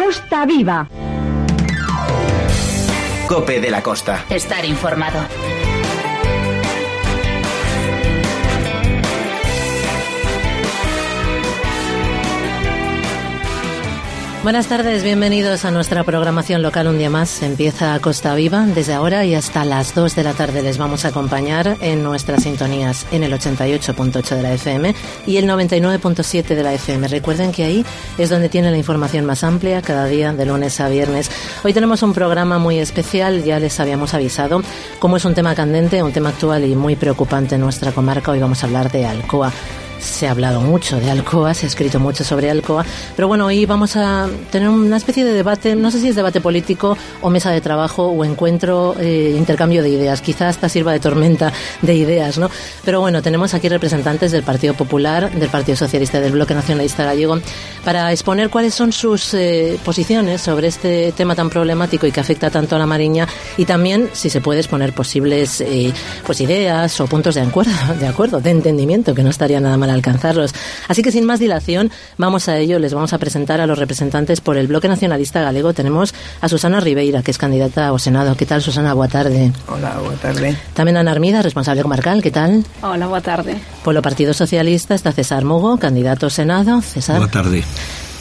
Costa Viva. COPE de la Costa. Estar informado. Buenas tardes, bienvenidos a nuestra programación local un día más. Empieza Costa Viva. Desde ahora y hasta las 2 de la tarde les vamos a acompañar en nuestras sintonías en el 88.8 de la FM y el 99.7 de la FM. Recuerden que ahí es donde tienen la información más amplia cada día de lunes a viernes. Hoy tenemos un programa muy especial, ya les habíamos avisado. Como es un tema candente, un tema actual y muy preocupante en nuestra comarca, hoy vamos a hablar de Alcoa. Se ha hablado mucho de Alcoa, se ha escrito mucho sobre Alcoa, pero bueno, hoy vamos a tener una especie de debate, no sé si es debate político o mesa de trabajo o encuentro, intercambio de ideas, quizás hasta sirva de tormenta de ideas, ¿no? Pero bueno, tenemos aquí representantes del Partido Popular, del Partido Socialista y del Bloque Nacionalista Gallego para exponer cuáles son sus posiciones sobre este tema tan problemático y que afecta tanto a la Mariña, y también, si se puede, exponer posibles pues ideas o puntos de acuerdo, de entendimiento, que no estaría nada mal alcanzarlos. Así que sin más dilación, vamos a ello. Les vamos a presentar a los representantes por el Bloque Nacionalista Galego. Tenemos a Susana Ribeira, que es candidata ao Senado. ¿Qué tal, Susana? Boa tarde. Hola, boa tarde. Tamén Ana Armida, responsable comarcal. ¿Qué tal? Hola, boa tarde. Polo Partido Socialista está César Mugo, candidato ao Senado. César. Boa tarde.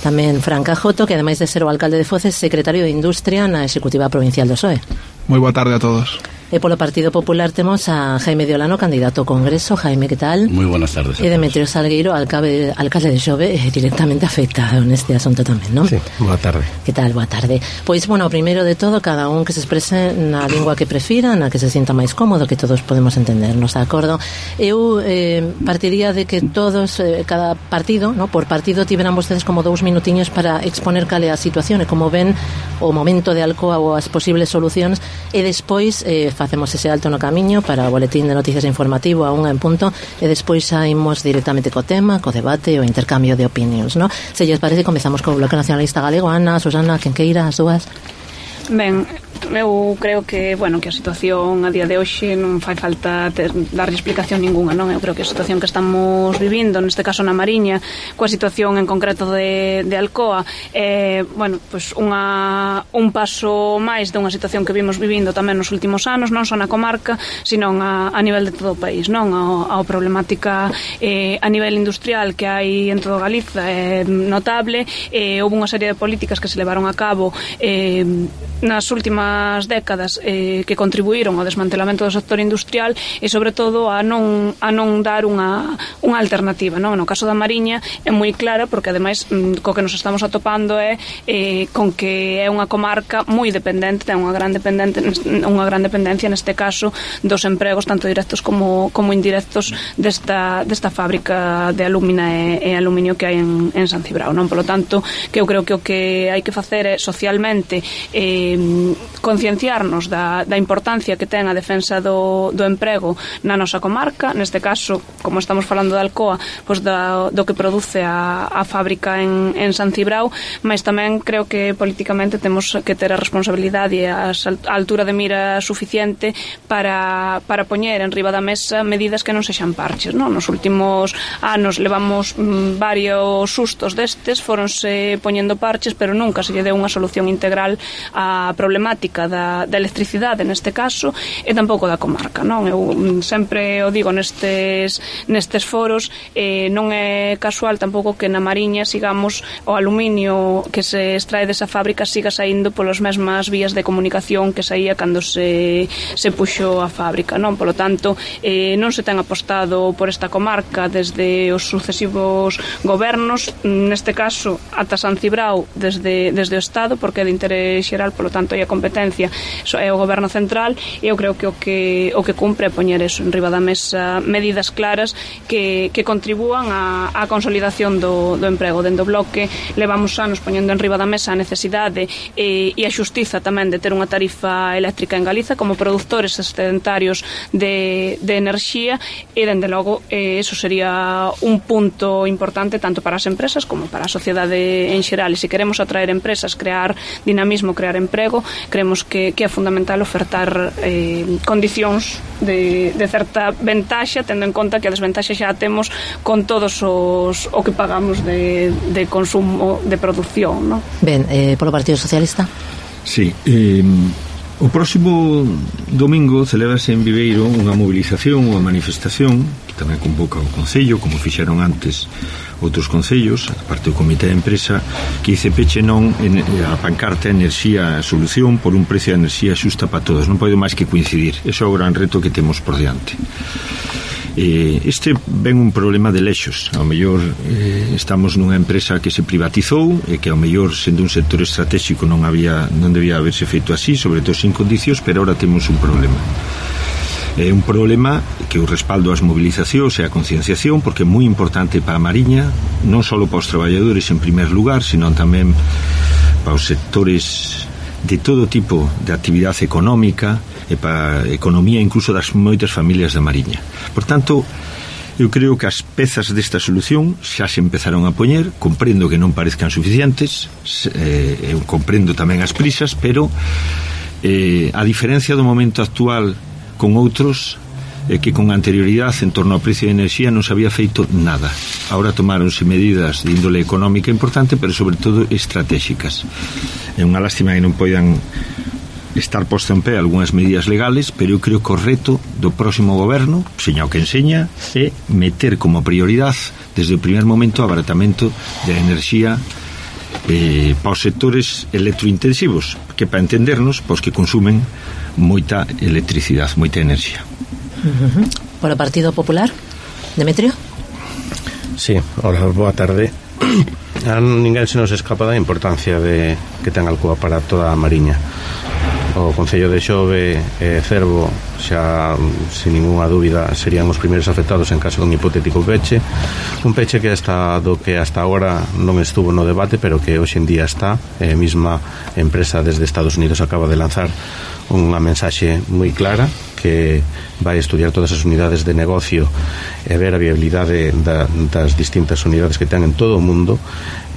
Tamén Fran Cajoto, que ademais de ser o alcalde de Foces, secretario de Industria na Executiva Provincial do PSOE. Moi boa tarde a todos. E polo Partido Popular temos a Jaime Diolano, candidato ao Congreso. Jaime, que tal? Moi buenas tardes. E Demetrio Salgueiro, alcalde de Xove, directamente afectado neste asunto tamén, non? Sí, boa tarde. Que tal? Boa tarde. Pois, bueno, primeiro de todo, cada un que se exprese na lingua que prefira, na que se sinta máis cómodo, que todos podemos entendernos, de acordo? Eu partiría de que todos, cada partido, no, por partido, tiveran vostedes como 2 minutiños para exponer cal é a situación e como ven o momento de Alcoa ou as posibles solucións, e despois facemos ese alto no camiño para o boletín de noticias informativo a 1 en punto, e despois xa imos directamente co tema, co debate, o intercambio de opinións, no? Se lles parece, comezamos co Bloque Nacionalista Galego. Ana, Susana, quen queira, as dúas. Ben, eu creo que, bueno, que a situación a día de hoxe non fai falta darlle explicación ninguna, non? Eu creo que a situación que estamos vivindo, neste caso na Mariña, coa situación en concreto de Alcoa, bueno, pues un paso máis de unha situación que vimos vivindo tamén nos últimos anos, non só na comarca, sino a nivel de todo o país, non? A problemática a nivel industrial que hai en todo Galiza é notable. Houve unha serie de políticas que se levaron a cabo nas últimas décadas que contribuíron ao desmantelamento do sector industrial e, sobre todo, a non dar unha alternativa, non? No caso da Mariña é moi clara, porque ademais co que nos estamos atopando é con que é unha comarca moi dependente, ten unha gran dependencia neste caso dos empregos tanto directos como indirectos desta fábrica de alúmina e aluminio que hai en San Cibrao, non? Por lo tanto, que eu creo que o que hai que facer é socialmente concienciarnos da importancia que ten a defensa do emprego na nosa comarca, neste caso, como estamos falando de Alcoa, pois do que produce a fábrica en San Cibrao, mas tamén creo que políticamente temos que ter a responsabilidade e a altura de mira suficiente para poñer en riba da mesa medidas que non sexan parches, non? Nos últimos anos levamos varios sustos destes, foronse poñendo parches, pero nunca se lle deu unha solución integral a problemática da electricidade neste caso e tampouco da comarca, non? Eu sempre o digo nestes foros, non é casual tampouco que na Mariña sigamos o aluminio que se extrae desa fábrica siga saindo polas mesmas vías de comunicación que saía cando se puxo a fábrica, non? Polo tanto, non se ten apostado por esta comarca desde os sucesivos gobernos, neste caso ata San Cibrao desde o Estado, porque é de interés xeral, polo tanto a competencia é o goberno central, e eu creo que o que cumpre é poñer eso en riba da mesa, medidas claras que contribúan á consolidación do emprego. Dende o Bloque levamos anos poñendo en riba da mesa a necesidade e a xustiza tamén de ter unha tarifa eléctrica en Galiza como produtores excedentarios de enerxía, e dende logo eso sería un punto importante tanto para as empresas como para a sociedade en xeral. E se queremos atraer empresas, crear dinamismo, crear emprego, creemos que é fundamental ofertar condicións de certa ventaxa, tendo en conta que a desventaxa xa a temos con todos o que pagamos de consumo de produción, non? Ben, polo Partido Socialista? Sí, o próximo domingo celebrase en Viveiro unha movilización, unha manifestación que tamén convoca o Concello, como fixeron antes outros concellos, a parte do Comité de Empresa, que dice peche non a pancarta enerxía solución por un precio de enerxía xusta para todos. Non pode máis que coincidir. Ese é o gran reto que temos por diante. Este ven un problema de lexos. Ao mellor estamos nunha empresa que se privatizou e que ao mellor sendo un sector estratégico non debía haberse feito así, sobre todo sin condicións, pero ahora temos un problema. É un problema que o respaldo ás movilizacións e a concienciación, porque é moi importante para a Mariña, non só para os traballadores en primer lugar, sino tamén para os sectores de todo tipo de actividade económica e para a economía incluso das moitas familias da Mariña. Por tanto, eu creo que as pezas desta solución xa se empezaron a poñer. Comprendo que non parezcan suficientes, eu comprendo tamén as prisas, pero a diferencia do momento actual con outros é que con anterioridade en torno ao precio de enerxía non se había feito nada. Ahora tomáronse medidas de índole económica importante, pero sobre todo estratégicas. É unha lástima que non poidan estar posto en pé algunhas medidas legales, pero eu creo que o reto do próximo goberno, seña o que enseña, é meter como prioridade desde o primer momento o abaratamento de enerxía para os sectores electrointensivos, que para entendernos, pois que consumen moita electricidade, moita enerxía. Por o Partido Popular, Demetrio? Sí, hola, boa tarde. A ninguén se nos escapa da importancia que ten Alcoa para toda a Mariña. O Concello de Xove e Cervo xa, sin ninguna dúbida, serían os primeiros afectados en caso dun hipotético peche. Un peche que hasta agora non estuvo no debate, pero que hoxe en día está. A mesma empresa desde Estados Unidos acaba de lanzar unha mensaxe moi clara que vai estudiar todas as unidades de negocio e ver a viabilidade das distintas unidades que ten en todo o mundo.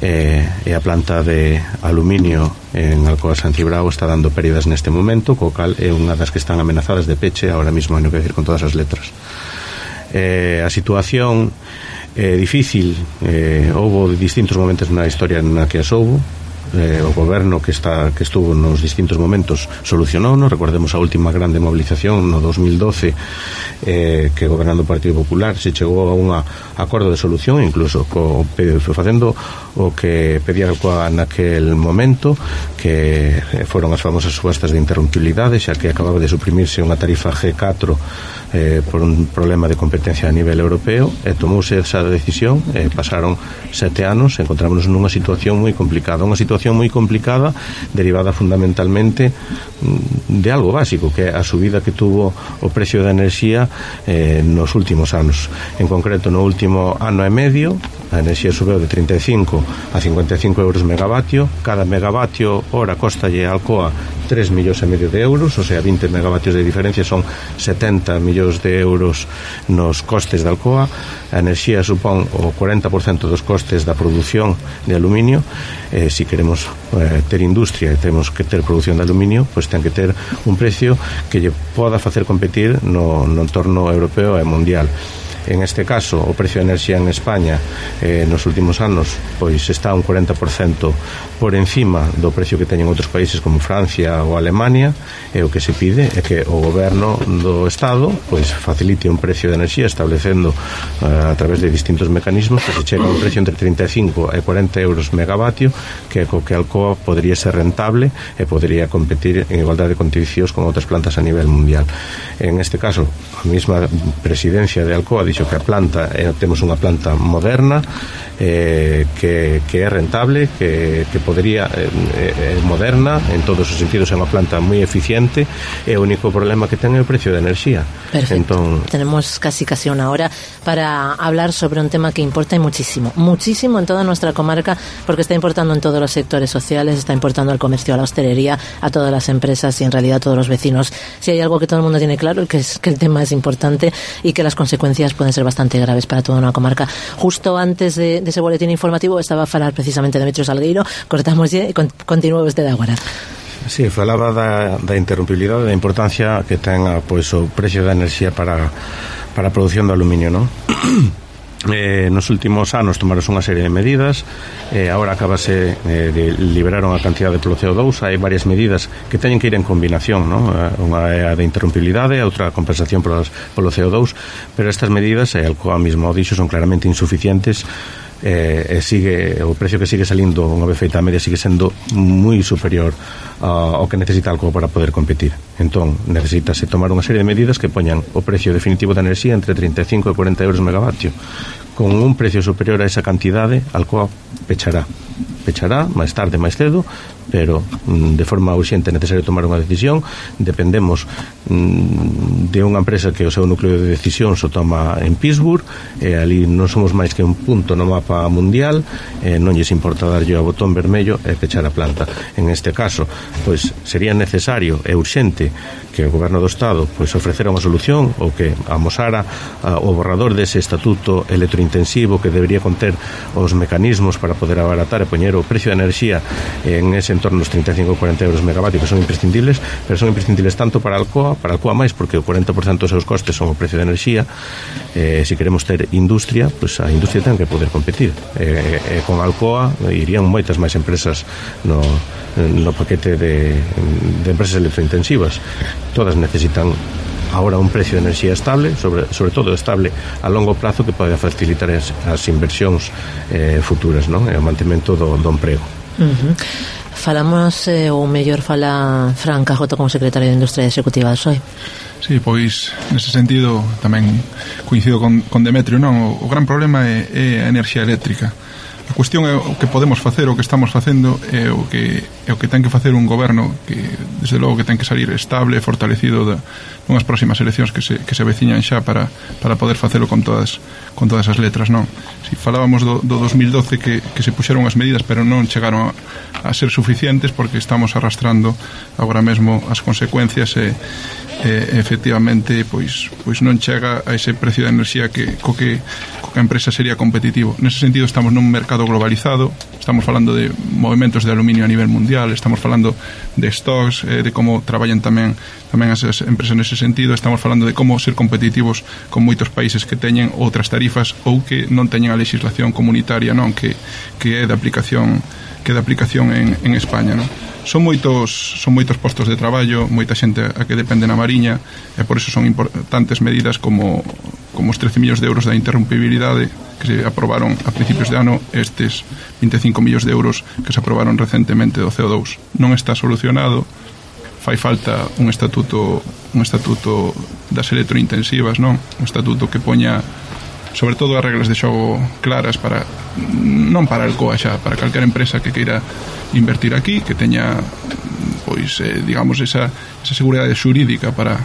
E a planta de aluminio en Alcoa San Cibrao está dando pérdidas neste momento, co cal é unha das que están amenazadas de peche ahora mismo, non quero decir con todas as letras. A situación é difícil, houve distintos momentos na historia na que as houve. O goberno que estuvo nos distintos momentos solucionou, non? Recordemos a última grande movilización no 2012 que gobernando o Partido Popular se chegou a un acordo de solución, incluso facendo o que pedía Alcoa naquel momento, que foron as famosas subastas de interrumpibilidade, xa que acababa de suprimirse unha tarifa G4 por un problema de competencia a nivel europeo, e tomouse esa decisión, pasaron 7 anos, encontrámonos nunha situación moi complicada, derivada fundamentalmente de algo básico, que é a subida que tuvo o precio da enerxía nos últimos anos. En concreto, no último ano e medio, a enerxía subeu de 35 a 55 euros megavatio. Cada megavatio hora costalle a Alcoa 3,5 millóns de euros, o sea, 20 megavatios de diferencia son 70 millóns de euros nos costes de Alcoa. A enerxía supón o 40% dos costes da produción de aluminio. Si queremos ter industria e temos que ter produción de aluminio, pois ten que ter un precio que lle poda facer competir no entorno europeo e mundial. En este caso, o precio de enerxía en España nos últimos anos pois está un 40% por encima do precio que teñen outros países como Francia ou Alemania, e o que se pide é que o goberno do Estado pois facilite un precio de enerxía establecendo a través de distintos mecanismos que se chega a un precio entre 35 e 40 euros megavatio, que co que Alcoa podría ser rentable e podría competir en igualdade de condicións con outras plantas a nivel mundial. En este caso, a mesma presidencia de Alcoa dixo que a planta, temos unha planta moderna que é rentable, que podría moderna en todos os sentidos, é unha planta moi eficiente, e o único problema que ten é o precio de enerxía. Perfecto. Tenemos casi una hora para hablar sobre un tema que importa muchísimo en toda nuestra comarca, porque está importando en todos los sectores sociales, está importando al comercio, a la hostelería, a todas las empresas y en realidad a todos los vecinos. Si hay algo que todo el mundo tiene claro, que es que el tema es importante y que las consecuencias pueden ser bastante graves para toda una comarca. Justo antes de ese boletín informativo estaba a falar precisamente Demetrio Salgueiro. Cortamos ya y continuamos desde agora. Sí, falaba da interrumpibilidade, da importancia que ten pois, o precio da enerxía para a produción do aluminio, non? Nos últimos anos tomaron unha serie de medidas, agora acabase de liberaron a cantidade polo CO2. Hai varias medidas que teñen que ir en combinación, non? Unha é a de interrumpibilidade, a outra a compensación polo CO2, pero estas medidas, Alcoa mesmo o dixo, son claramente insuficientes. Sigue o precio que sigue salindo unha vez feita a media sigue sendo moi superior ao que necesita Alcoa para poder competir. Entón necesitase tomar unha serie de medidas que poñan o precio definitivo da enerxía entre 35 e 40 euros megavatio. Con un precio superior a esa cantidade, Alcoa pechará máis tarde, máis cedo, pero de forma urxente é necesario tomar unha decisión. Dependemos de unha empresa que o seu núcleo de decisión se toma en Pittsburgh, ali non somos máis que un punto no mapa mundial, non lles importa darlle ao botón vermello e pechar a planta. En este caso, pois sería necesario e urxente que o Goberno do Estado pois ofrecera unha solución, ou que amosara o borrador dese estatuto electrointensivo que debería conter os mecanismos para poder abaratar e poñer o precio da enerxía en ese entorno dos 35 ou 40 euros megavatio, que son imprescindibles, pero son imprescindibles tanto para Alcoa máis, porque o 40% dos seus costes son o precio da enerxía. Se queremos ter industria, pois a industria ten que poder competir, con Alcoa irían moitas máis empresas no paquete de empresas electrointensivas. Todas necesitan ahora un precio de enerxía estable, sobre todo estable a longo prazo, que pode facilitar as inversións futuras, non? E o mantemento do emprego. Falamos, ou mellor fala Fran Cajoto como secretario de Industria Executiva do PSOE. Sí, pois nese sentido tamén coincido con Demetrio, non? O gran problema é a enerxía eléctrica. A cuestión é o que podemos facer, o que estamos facendo, é o que ten que facer un goberno que, desde logo, que ten que salir estable, fortalecido unhas próximas eleccións que se veciñan xa para poder facelo con todas as letras, non? Si falábamos do 2012 que se puxeron as medidas, pero non chegaron a ser suficientes, porque estamos arrastrando agora mesmo as consecuencias e efectivamente pois non chega a ese precio de enerxía co que a empresa sería competitivo. Nese sentido estamos nun mercado globalizado, estamos falando de movimentos de aluminio a nivel mundial, estamos falando de stocks, de como traballan tamén as empresas nese sentido, estamos falando de como ser competitivos con moitos países que teñen outras tarifas ou que non teñen a legislación comunitaria, non, que é de aplicación en España, non? Son moitos postos de traballo, moita xente a que depende na Mariña, e por eso son importantes medidas como os 13 millóns de euros da interrumpibilidade que se aprobaron a principios de ano, estes 25 millóns de euros que se aprobaron recentemente do CO2. Non está solucionado, fai falta un estatuto das electrointensivas, non? Un estatuto que poña sobre todo as reglas de xogo claras non para Alcoa xa, para calquera empresa que queira invertir aquí, que teña pois digamos esa seguridade xurídica para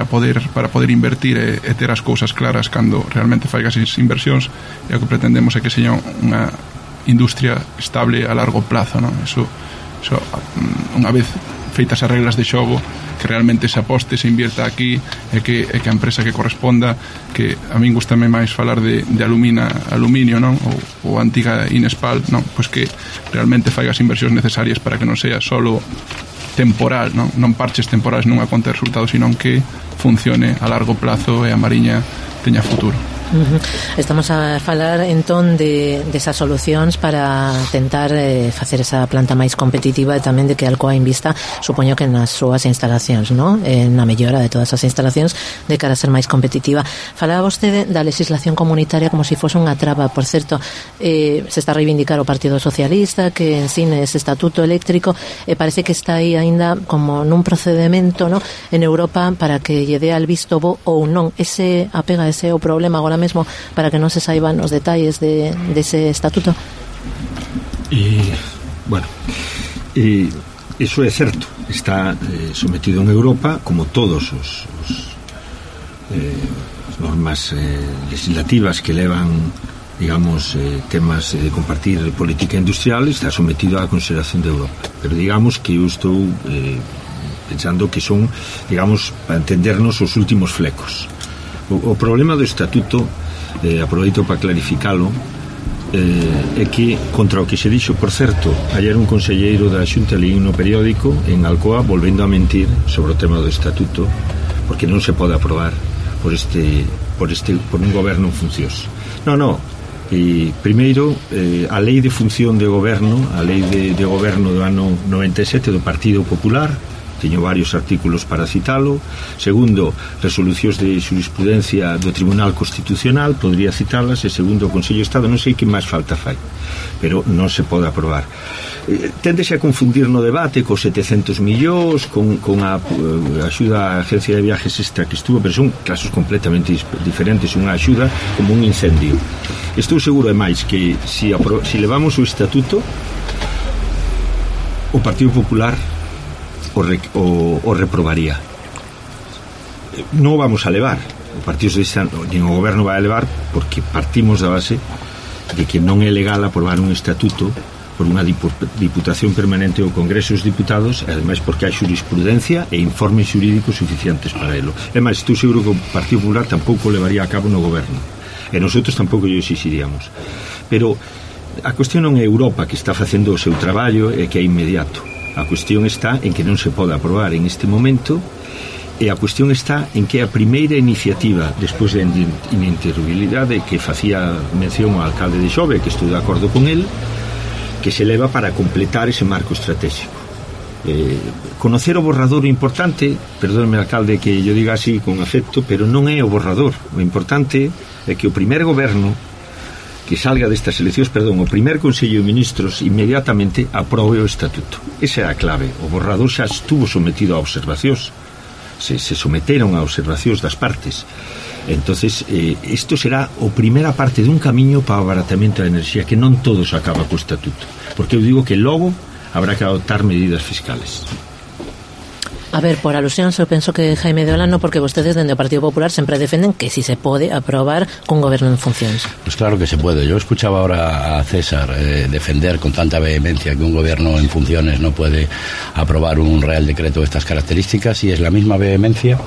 poder invertir e ter as cousas claras cando realmente faigas as inversións. E o que pretendemos é que seña unha industria estable a largo plazo, non? Eso unha vez feitas as reglas de xogo, que realmente se aposte, se invierta aquí, e que a empresa que corresponda, que a min gustame máis falar de aluminio, non? Ou antiga Inespal, non? Pois que realmente faiga as inversións necesarias para que non sea solo temporal, non parches temporales nunha conta de resultados, sino que funcione a largo plazo e a Mariña teña futuro. Estamos a falar entón desas solucións para tentar facer esa planta máis competitiva, e tamén de que Alcoa invista, supoño que nas súas instalacións, non? Na mellora de todas as instalacións de cara a ser máis competitiva. Falaba vostede da legislación comunitaria como se fose unha traba. Por certo, se está a reivindicar o Partido Socialista que ensine ese estatuto eléctrico, e parece que está aí aínda como nun procedimento, non, en Europa para que lle dé al visto bo ou non. Ese o problema agora mesmo, para que non se saiban os detalles dese estatuto. Bueno, iso é certo, está sometido en Europa, como todos os normas legislativas que levan, digamos, temas de compartir política industrial, está sometido á consideración de Europa. Pero digamos que eu estou pensando que son, digamos, para entendernos, os últimos flecos. O problema do estatuto, aproveito para clarificalo, é que contra o que se dixo, por certo, ayer un conselleiro da Xunta leí no periódico en Alcoa volvendo a mentir sobre o tema do estatuto, porque non se pode aprobar por un goberno en funcións. Primeiro, a lei de función de goberno, a lei de goberno do ano 97 do Partido Popular, teño varios artículos para citalo. Segundo, resolucións de xurisprudencia do Tribunal Constitucional, podría citalas. E segundo, o Consello de Estado, non sei que máis falta fai, pero non se pode aprobar. Téndese a confundir no debate cos 700 millóns con a axuda á agencia de viajes esta que estuvo, pero son casos completamente diferentes. Unha axuda como un incendio. Estou seguro, é máis, que si levamos o estatuto, o Partido Popular o reprobaría. Non o vamos a levar, o Partido Socialista nin o goberno vai a levar, porque partimos da base de que non é legal aprobar un estatuto por unha diputación permanente ou Congreso dos Diputados, e ademais porque hai xurisprudencia e informes xurídicos suficientes para elo. É máis, estou seguro que o Partido Popular tampouco levaría a cabo no goberno, e nosotros tampouco lle exixiríamos. Pero a cuestión non é Europa, que está facendo o seu traballo e que é inmediato. A cuestión está en que non se pode aprobar en este momento, e a cuestión está en que a primeira iniciativa despois da ininterrumpibilidade que facía mención ao alcalde de Xove, que estou de acordo con el, que se leva para completar ese marco estratégico. Conocer o borrador importante, perdóneme, alcalde, que yo diga así con afecto, pero non é o borrador. O importante é que o primer goberno que salga destas eleccións, o primer Consello de Ministros inmediatamente aprobe o estatuto. Esa é a clave. O borrador xa estuvo sometido a observacións, se someteron a observacións das partes. Entonces, isto será a primeira parte dun camiño para o abaratamento da enerxía, que non todo se acaba co estatuto, porque eu digo que logo habrá que adoptar medidas fiscales. A ver, por alusións, eu penso que Jaime de Olano, porque vostedes dende o Partido Popular sempre defenden que si se pode aprobar cun goberno en funcións. Pues claro que se puede. Yo escuchaba ahora a César defender con tanta vehemencia que un gobierno en funciones no puede aprobar un real decreto de estas características, y es la misma vehemencia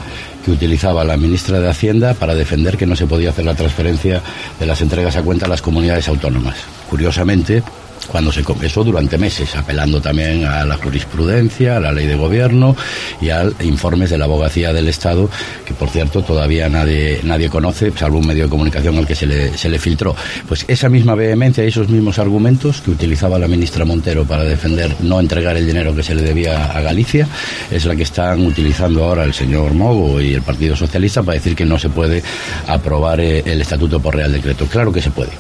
que utilizaba la ministra de Hacienda para defender que no se podía hacer la transferencia de las entregas a cuenta a las comunidades autónomas. Curiosamente, cuando se confesó durante meses, apelando también a la jurisprudencia, a la ley de gobierno y a informes de la abogacía del Estado, que por cierto todavía nadie conoce, salvo un medio de comunicación al que se le filtró. Pues esa misma vehemencia y esos mismos argumentos que utilizaba la ministra Montero para defender no entregar el dinero que se le debía a Galicia, es la que están utilizando ahora el señor Mogo y el Partido Socialista para decir que no se puede aprobar el estatuto por Real Decreto. Claro que se puede.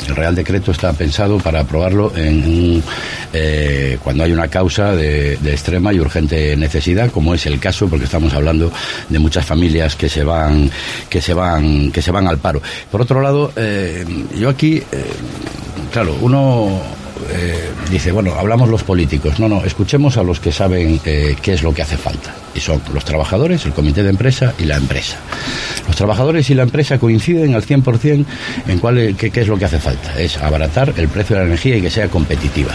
El Real Decreto está pensado para aprobarlo cuando hay una causa de extrema y urgente necesidad, como es el caso, porque estamos hablando de muchas familias que se van al paro. Por otro lado, yo aquí, claro, uno dice, bueno, hablamos los políticos. No, escuchemos a los que saben qué es lo que hace falta. Y son los trabajadores, el comité de empresa y la empresa. Los trabajadores y la empresa coinciden al 100% en qué es lo que hace falta. Es abaratar el precio de la energía y que sea competitiva.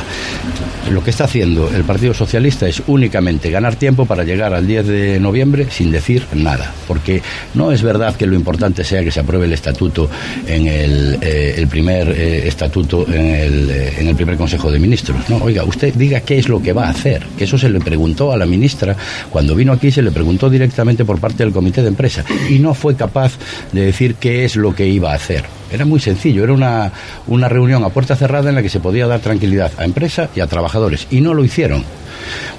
Lo que está haciendo el Partido Socialista es únicamente ganar tiempo para llegar al 10 de noviembre sin decir nada. Porque no es verdad que lo importante sea que se apruebe el estatuto en el primer estatuto, en el primer Consejo de Ministros. No, oiga, usted diga qué es lo que va a hacer. Que eso se le preguntó a la ministra cuando vino aquí, se le preguntó directamente por parte del comité de empresa y no fue capaz de decir qué es lo que iba a hacer. Era muy sencillo, era una reunión a puerta cerrada en la que se podía dar tranquilidad a empresa y a trabajadores, y no lo hicieron.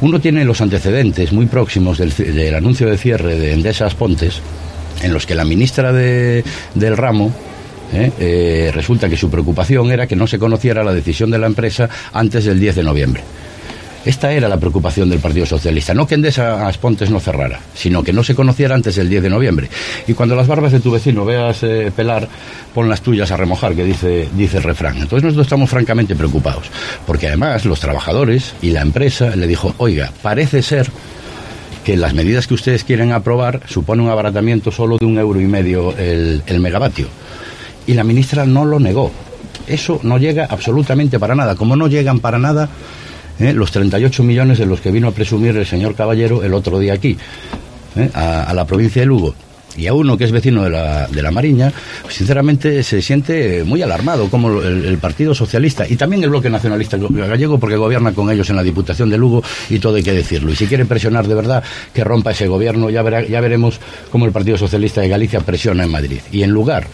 Uno tiene los antecedentes muy próximos del anuncio de cierre de Endesa Aspontes, en los que la ministra del ramo resulta que su preocupación era que no se conociera la decisión de la empresa antes del 10 de noviembre. Esta era la preocupación del Partido Socialista, no que Endesa Aspontes no cerrara, sino que no se conociera antes del 10 de noviembre. Y cuando las barbas de tu vecino veas pelar, pon las tuyas a remojar, que dice el refrán. Entonces nosotros estamos francamente preocupados, porque además los trabajadores y la empresa le dijo, oiga, parece ser que las medidas que ustedes quieren aprobar supone un abaratamiento solo de 1,5 € el megavatio. Y la ministra no lo negó. Eso no llega absolutamente para nada, como no llegan para nada los 38 millones de los que vino a presumir el señor Caballero el otro día aquí, a la provincia de Lugo. Y a uno que es vecino de la Mariña, sinceramente se siente muy alarmado, como el Partido Socialista y también el Bloque Nacionalista Gallego, porque gobierna con ellos en la Diputación de Lugo, y todo hay que decirlo. Y si quiere presionar de verdad, que rompa ese gobierno. Ya veremos cómo el Partido Socialista de Galicia presiona en Madrid. Y en lugar,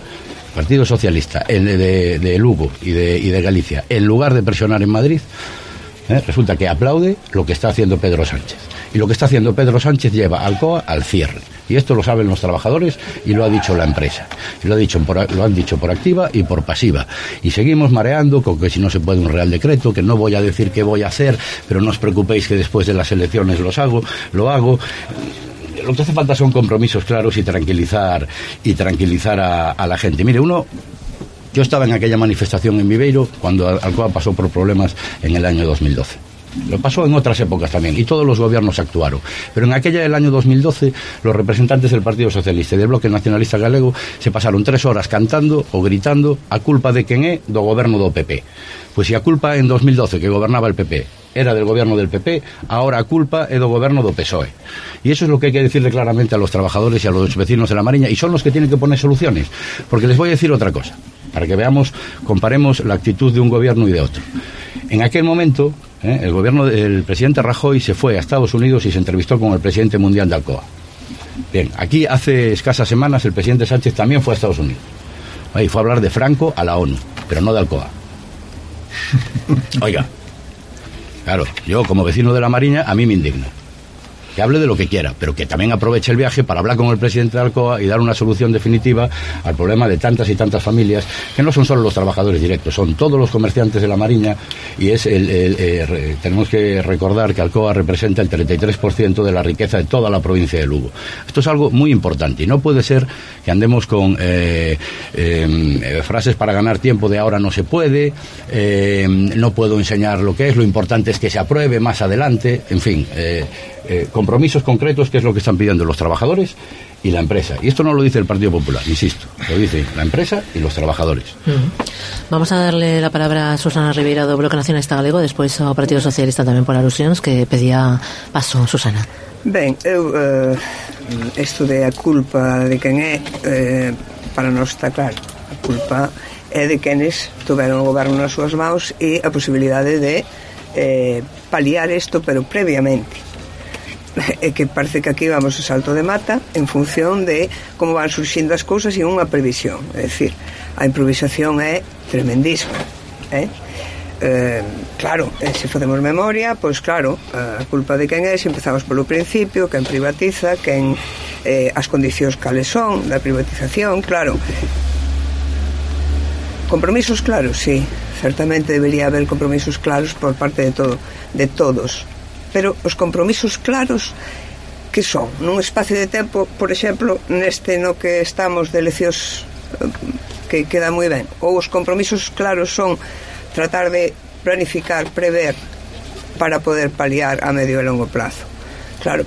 Partido Socialista de Lugo y de Galicia, en lugar de presionar en Madrid, resulta que aplaude lo que está haciendo Pedro Sánchez. Y lo que está haciendo Pedro Sánchez lleva a Alcoa al cierre. Y esto lo saben los trabajadores y lo ha dicho la empresa. Y lo han dicho por activa y por pasiva. Y seguimos mareando con que si no se puede un Real Decreto, que no voy a decir qué voy a hacer, pero no os preocupéis que después de las elecciones lo hago. Lo que hace falta son compromisos claros y tranquilizar a la gente. Mire, yo estaba en aquella manifestación en Viveiro cuando Alcoa pasó por problemas en el año 2012. Lo pasó en otras épocas también, y todos los gobiernos actuaron. Pero en aquella del año 2012, los representantes del Partido Socialista y del Bloque Nacionalista Galego se pasaron 3 horas cantando o gritando a culpa de quen é do goberno do PP. Pois se a culpa en 2012, que gobernaba el PP, era del gobierno del PP, ahora a culpa é do goberno do PSOE. Y eso es lo que hay que decirle claramente a los trabajadores y a los vecinos de la Mariña, y son los que tienen que poner soluciones. Porque les voy a decir otra cosa, para que comparemos la actitud de un gobierno y de otro. En aquel momento, el presidente Rajoy se fue a Estados Unidos y se entrevistó con el presidente mundial de Alcoa. Bien, aquí hace escasas semanas el presidente Sánchez también fue a Estados Unidos. Y fue a hablar de Franco a la ONU, pero no de Alcoa. Oiga, claro, yo como vecino de la Mariña, a mí me indigna. Que hable de lo que quiera, pero que también aproveche el viaje para hablar con el presidente de Alcoa y dar una solución definitiva al problema de tantas y tantas familias, que no son solo los trabajadores directos, son todos los comerciantes de la Mariña, y tenemos que recordar que Alcoa representa el 33% de la riqueza de toda la provincia de Lugo. Esto es algo muy importante, y no puede ser que andemos con frases para ganar tiempo de ahora no se puede, no puedo enseñar lo que es, lo importante es que se apruebe más adelante, en fin, compromisos concretos, que es lo que están pidiendo los trabajadores y la empresa. Y esto no lo dice el Partido Popular, insisto, lo dice la empresa y los trabajadores. Vamos a darle la palabra a Susana Ribeira do Bloque Nacionalista Galego, despois ao Partido Socialista tamén por alusións, que pedía paso. Susana. Ben, isto de a culpa de quen é, para nós está claro, a culpa é de quenes tuveron o goberno nas súas mãos e a posibilidade de paliar isto, pero previamente. É que parece que aquí vamos a salto de mata en función de como van surxindo as cousas e unha previsión. É dicir, a improvisación é tremendísima. Claro, se facemos memoria, pois claro, a culpa de quen é, se empezamos polo principio, quen privatiza, quen as condicións cales son da privatización, claro. Compromisos claros, sí, certamente debería haber compromisos claros por parte de todos. Pero os compromisos claros que son nun espacio de tempo, por exemplo, neste no que estamos de eleccións, que queda moi ben, ou os compromisos claros son tratar de planificar, prever para poder paliar a medio e longo plazo. Claro,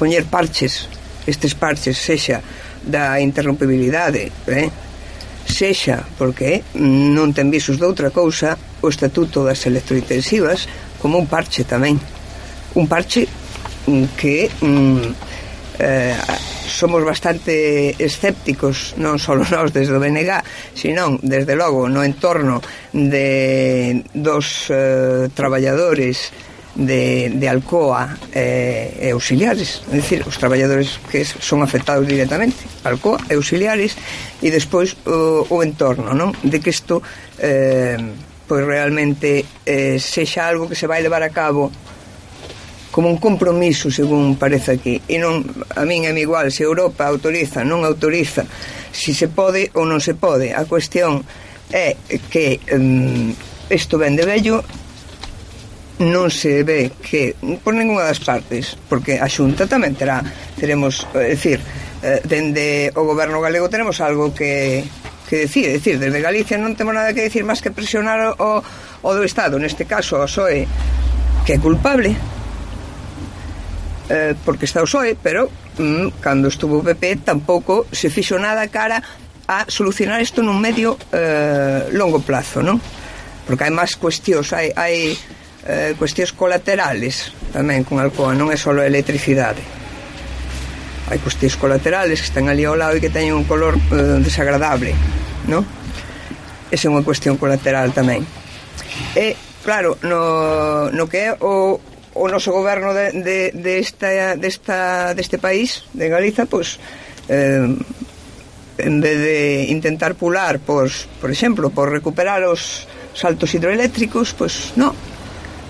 poñer parches, estes parches, sexa da interrompibilidade, sexa porque non ten visos de outra cousa o estatuto das electrointensivas como un parche tamén. Un parche que somos bastante escépticos, non só nós desde o BNG, sino desde logo no entorno dos traballadores de Alcoa e auxiliares, é dicir, os traballadores que son afectados directamente, Alcoa e auxiliares, e despois o entorno, non? De que isto pois realmente sexa algo que se vai levar a cabo como un compromiso, según parece aquí, e non, a min é igual se Europa autoriza, non autoriza, si se pode ou non se pode. A cuestión é que isto ven de vello, non se ve que por ninguna das partes, porque a Xunta tamén teremos, é dicir, dende o goberno galego tenemos algo que decir, desde Galicia non temos nada que decir máis que presionar o do Estado, neste caso o PSOE, que é culpable, porque está o PSOE, pero cando estuvo o PP tampouco se fixo nada cara a solucionar isto nun medio longo plazo, non? Porque hai máis cuestións, hai cuestións colaterales tamén con Alcoa, non é só a electricidade. hai cuestións colaterales que están ali ao lado e que teñen un color desagradable, non? Esa é unha cuestión colateral tamén. E, claro, no que é o noso goberno deste país, de Galiza, pois en vez de intentar pular, pois, por exemplo, por recuperar os saltos hidroeléctricos, pois non.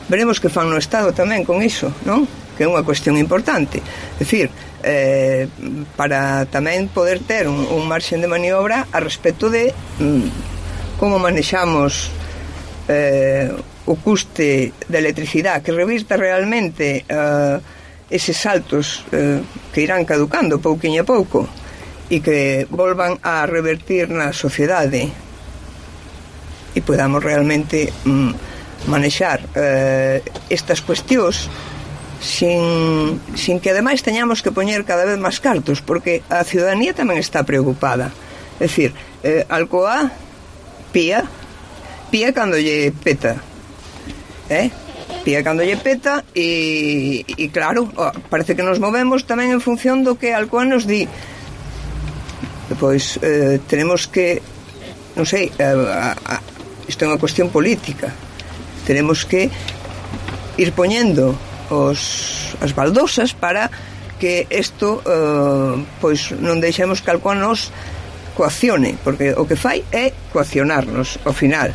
Veremos que fan no Estado tamén con iso, non? Que é unha cuestión importante. É dicir, para tamén poder ter un marxen de maniobra a respecto de como manexamos o custe de electricidade, que revirta realmente eses saltos que irán caducando pouquiño a pouco e que volvan a revertir na sociedade e podamos realmente manexar estas cuestións sin que ademais teñamos que poñer cada vez máis cartos, porque a ciudadanía tamén está preocupada. É dicir, Alcoa pía cando lle peta, pía cando lle peta e claro, parece que nos movemos tamén en función do que Alcoa nos di. Pois tenemos que, non sei, isto é unha cuestión política, tenemos que ir poñendo as baldosas para que isto pois non deixemos que Alcoa nos coaccione, porque o que fai é coaccionarnos ao final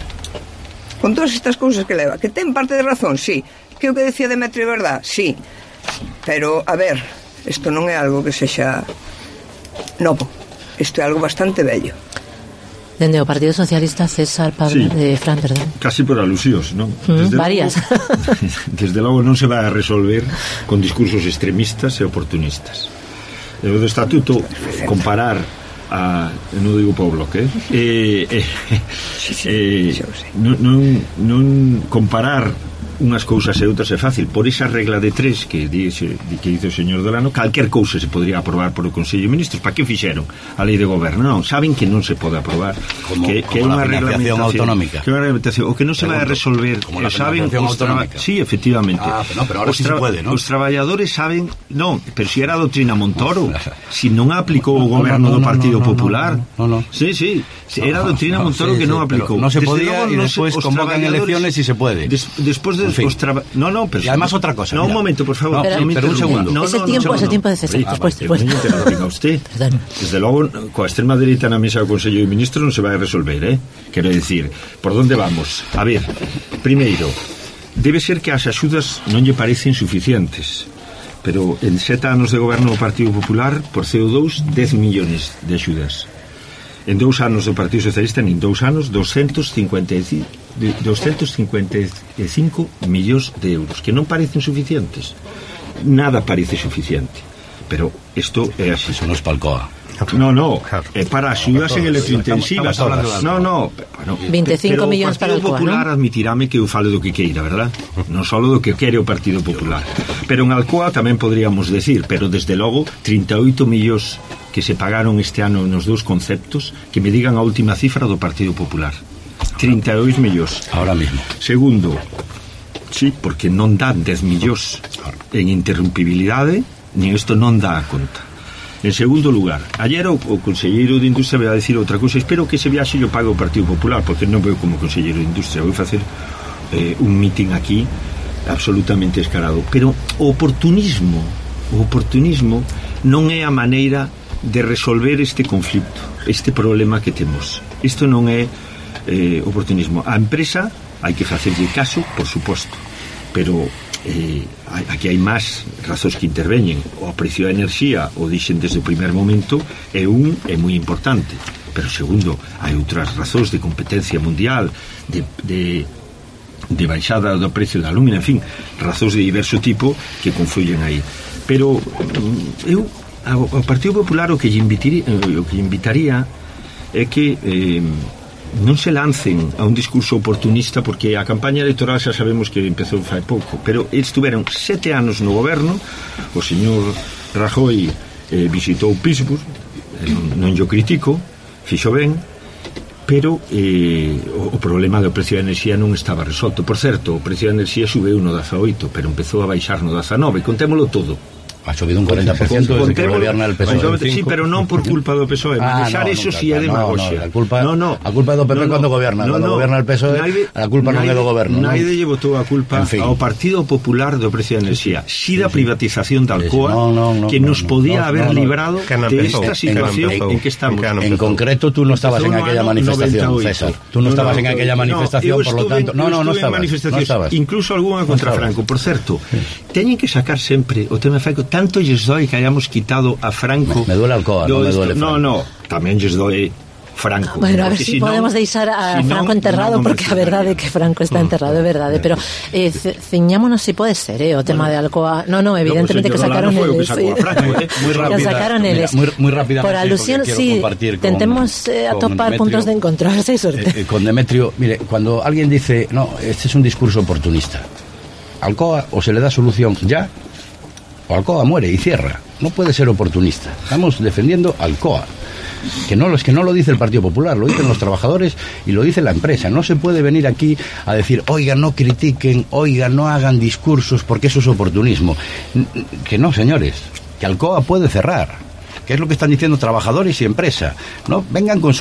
con todas estas cousas que leva, que ten parte de razón, sí, que o que decía Demetrio é verdad, sí, pero a ver, isto non é algo que sexa novo, isto é algo bastante bello. Dende o Partido Socialista, César Pablo, sí, Fran, perdón. Casi por alusións, non? Varias. Desde logo non se vai a resolver con discursos extremistas e oportunistas. O do estatuto, comparar non digo para o bloque, non comparar unhas cousas e outras é fácil. Por esa regla de tres que dice o señor Dolano, calquer cousa se podría aprobar por o Consello de Ministros. Para que fixeron a lei de goberno? Non, saben que non se pode aprobar, que é unha reglamentación autonómica, que é unha reglamentación, o que non se vai a resolver, como la reglamentación autonómica. Sí, efectivamente. Pero ahora sí se puede, ¿no? Os traballadores saben, non, pero si era a doutrina Montoro, si non a aplicou o goberno do Partido Popular. Sí, era a doutrina Montoro que non aplicou. Non se podía e despois convocan elecciones e se puede. Despois de pero y además otra cosa. No, mira. Un momento, por favor. Pero un segundo. Ese tiempo de César. Después. Usted. Desde logo, coa extrema dereita na mesa do Consello de Ministros non se vai a resolver, Quero decir, por onde vamos? A ver, primeiro, debe ser que as axudas non lle parecen suficientes, pero en 7 anos de goberno do Partido Popular, por CO2, 10 millóns de axudas. En 2 anos do Partido Socialista, en 2 anos, 255 millóns de euros, que non parecen suficientes. Nada parece suficiente. Pero isto é así. Eso non es Palcoa. No, é para axudas en electrointensivas. No, 25 millóns para o Partido Popular, ¿no? Admitirame que eu falo do que queira, verdad? Non só do que quere o Partido Popular. Pero en Alcoa tamén podríamos decir, pero desde logo 38 millóns que se pagaron este ano nos dous conceptos, que me digan a última cifra do Partido Popular. 32 millóns. Ahora mismo. Segundo, sí, porque non dan 10 millóns en interrumpibilidade, nin isto non dá a conta. En segundo lugar, ayer o conselleiro de Industria vai a decir outra cousa. Espero que ese viaxe yo pague o Partido Popular, porque non veo como conselleiro de Industria. Vou facer un meeting aquí absolutamente escarado. Pero o oportunismo non é a maneira de resolver este conflito, este problema que temos. Isto non é oportunismo. A empresa hai que facerlle caso, por suposto, pero aquí hai máis razóns que interveñen. O precio da enerxía, o dixen desde o primer momento, é moi importante, pero segundo, hai outras razóns de competencia mundial, de baixada do precio da alumina, en fin, razóns de diverso tipo que confluyen aí. Pero eu ao Partido Popular o que lle invitaría é que non se lancen a un discurso oportunista, porque a campaña electoral xa sabemos que empezou fai pouco, pero estuveron 7 anos no goberno. O señor Rajoy visitou Pittsburgh, non yo critico, fixo ben, pero o problema do precio da enerxía non estaba resolto. Por certo, o precio da enerxía subeu no 18, pero empezou a baixar no 19, contémolo todo. Ha subido un 40% desde que gobierna el PSOE. Sí, pero non por culpa do PSOE. Manexar eso si é demagoxia. A culpa é do PP cando goberna. Cando goberna el PSOE, a culpa non é do goberno. Naide lle botou a culpa ao Partido Popular do precio de enerxía. Si da privatización da Alcoa, que nos podía haber librado de esta situación en que estamos. En concreto, tú no estabas en aquella manifestación, César. Tú no estabas en aquella manifestación, por lo tanto... No estabas. Incluso alguna contra Franco. Por certo, teñen que sacar sempre o tema Franco. Tanto lles doi que hayamos quitado a Franco. Me duele Alcoa, non me duele Franco. No, tamén lles doi Franco. Bueno, a ver si podemos deixar a Franco enterrado, porque a verdade é que Franco está enterrado, é verdade, pero ciñámonos si pode ser, o tema de Alcoa. No, evidentemente que sacaron eles. Muy rápidamente. Por alusión, sí, tentemos atopar puntos de encontro, a ver si hay suerte. Con Demetrio, mire, cuando alguien dice, no, este es un discurso oportunista, Alcoa o se le da solución ya, o Alcoa muere y cierra. No puede ser oportunista. Estamos defendiendo Alcoa. Que no lo dice el Partido Popular, lo dicen los trabajadores y lo dice la empresa. No se puede venir aquí a decir, oiga, no critiquen, oiga, no hagan discursos, porque eso es oportunismo. Que no, señores, que Alcoa puede cerrar. Que es lo que están diciendo trabajadores y empresa. No vengan con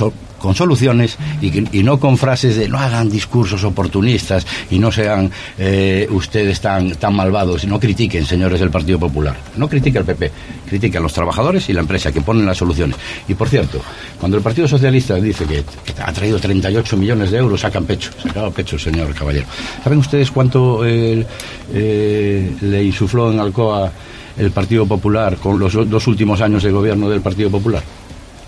soluciones y no con frases de no hagan discursos oportunistas y no sean ustedes tan malvados. No critiquen, señores del Partido Popular. No critiquen al PP, critiquen a los trabajadores y la empresa que ponen las soluciones. Y por cierto, cuando el Partido Socialista dice que ha traído 38 millones de euros, sacaba pecho, señor Caballero. ¿Saben ustedes cuánto le insufló en Alcoa el Partido Popular con los 2 últimos años de gobierno del Partido Popular?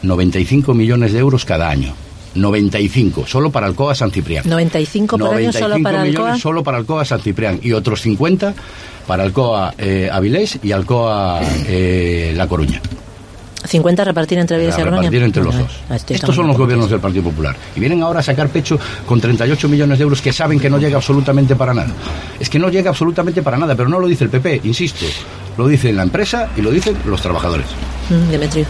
95 millones de euros cada año. 95, solo para Alcoa San Ciprián. 95 por año solo para Alcoa. Solo para Alcoa San Ciprián y otros 50 para Alcoa Avilés y Alcoa La Coruña. 50 repartir entre Avilés y Coruña. Repartir entre los dos. Estos son los gobiernos del Partido Popular. Y vienen ahora a sacar pecho con 38 millones de euros que saben que no llega absolutamente para nada. Es que no llega absolutamente para nada, pero no lo dice el PP, insisto. Lo dice la empresa y lo dicen los trabajadores. Demetrio.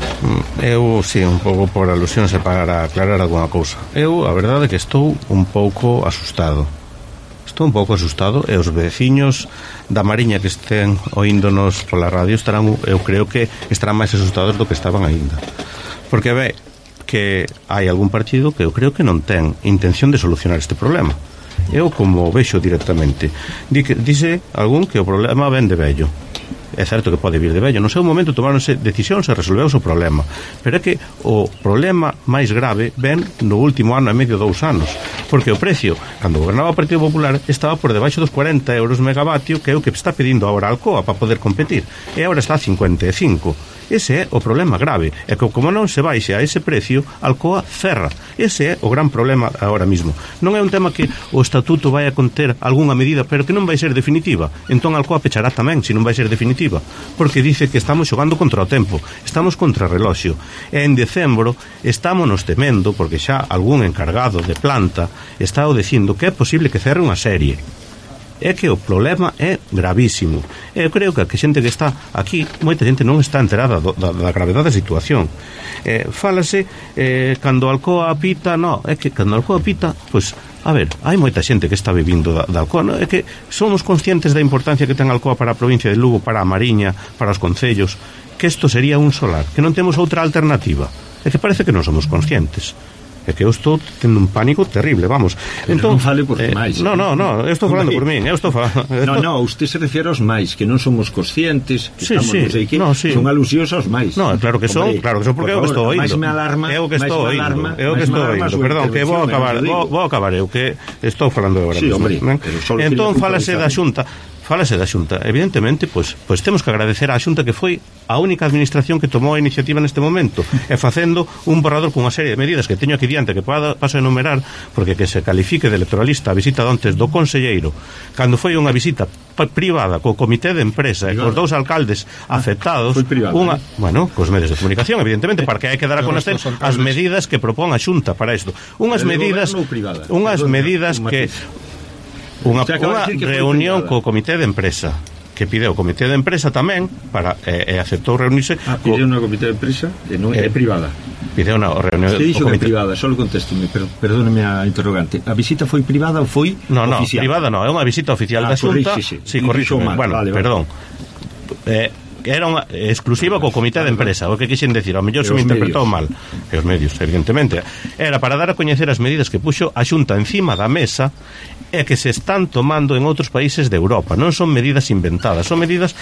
Eu, sí, un pouco por alusións e para aclarar alguna cousa. Eu, a verdade é que estou un pouco asustado. E os veciños da Mariña que estén oíndonos pola radio eu creo que estarán máis asustados do que estaban aínda. Porque ve que hai algún partido que eu creo que non ten intención de solucionar este problema. Eu, como vexo directamente, dice algún que o problema ven de vello. É certo que pode vir de vello. No seu momento tomáronse decisións e resolveuse o problema, pero é que o problema máis grave ven no último ano e medio, 2 anos, porque o precio, cando gobernaba o Partido Popular, estaba por debaixo dos 40 euros megavatio, que é o que está pedindo agora Alcoa para poder competir, e agora está a 55. Ese é o problema grave, é que como non se baixe a ese precio, Alcoa cerra. Ese é o gran problema agora mismo. Non é un tema que o estatuto vai a conter algunha medida, pero que non vai ser definitiva. Entón Alcoa pechará tamén, se non vai ser definitiva, porque dice que estamos xogando contra o tempo, estamos contra o reloxo. E en decembro estámonos temendo, porque xa algún encargado de planta está dicindo que é posible que cerre unha serie. É que o problema é gravísimo. Eu creo que a xente que está aquí, moita xente non está enterada da gravedade da situación. Fálase cando Alcoa apita, é que cando Alcoa apita, pois, a ver, hai moita xente que está vivindo da Alcoa, é que somos conscientes da importancia que ten Alcoa para a provincia de Lugo, para a Mariña, para os concellos, que isto sería un solar, que non temos outra alternativa. É que parece que non somos conscientes. É que eu estou tendo un pánico terrible, vamos. Entón, non fale por máis. No, eu estou falando por min. No, usted se refiere aos máis, que non somos conscientes, que estamos non sei que, son alusións aos máis. No, claro que son, porque eu que estou oíndo. É o que estou oíndo. Perdón, que vou acabar eu, que estou falando agora mesmo. Entón, falase da Xunta. Evidentemente, pois temos que agradecer á Xunta, que foi a única administración que tomou a iniciativa neste momento, e facendo un borrador con unha serie de medidas que teño aquí diante, que paso a enumerar, porque que se califique de electoralista a visita ontes do conselleiro, cando foi unha visita privada co comité de empresa e cos 2 alcaldes afectados, cos medios de comunicación, evidentemente, porque hai que dar a conocer as medidas que propón a Xunta para isto. Unhas medidas que unha reunión co comité de empresa, que pide o comité de empresa tamén para aceptou reunirse. Pide unha comité de empresa e non é privada. Pide unha reunión. Se dixo que é privada, só contésteme, perdóneme a interrogante. A visita foi privada ou foi oficial? Privada non, é unha visita oficial da Xunta. Sí, corrixo. Bueno, perdón. que era unha exclusiva co comité de empresa. O que quixen decir, ao mellor se me interpretou mal, e os medios, evidentemente, era para dar a coñecer as medidas que puxo a Xunta encima da mesa e que se están tomando en outros países de Europa. Non son medidas inventadas, son medidas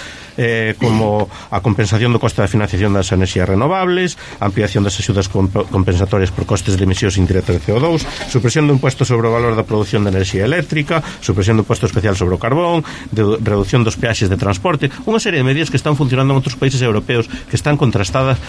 como a compensación do coste da financiación das enerxías renovables, a ampliación das axudas compensatorias por costes de emisións indirectas de CO2, supresión do imposto sobre o valor da produción de enerxía eléctrica, supresión do imposto especial sobre o carbón, de reducción dos peaxes de transporte, unha serie de medidas que están funcionando en outros países europeos, que están contrastadas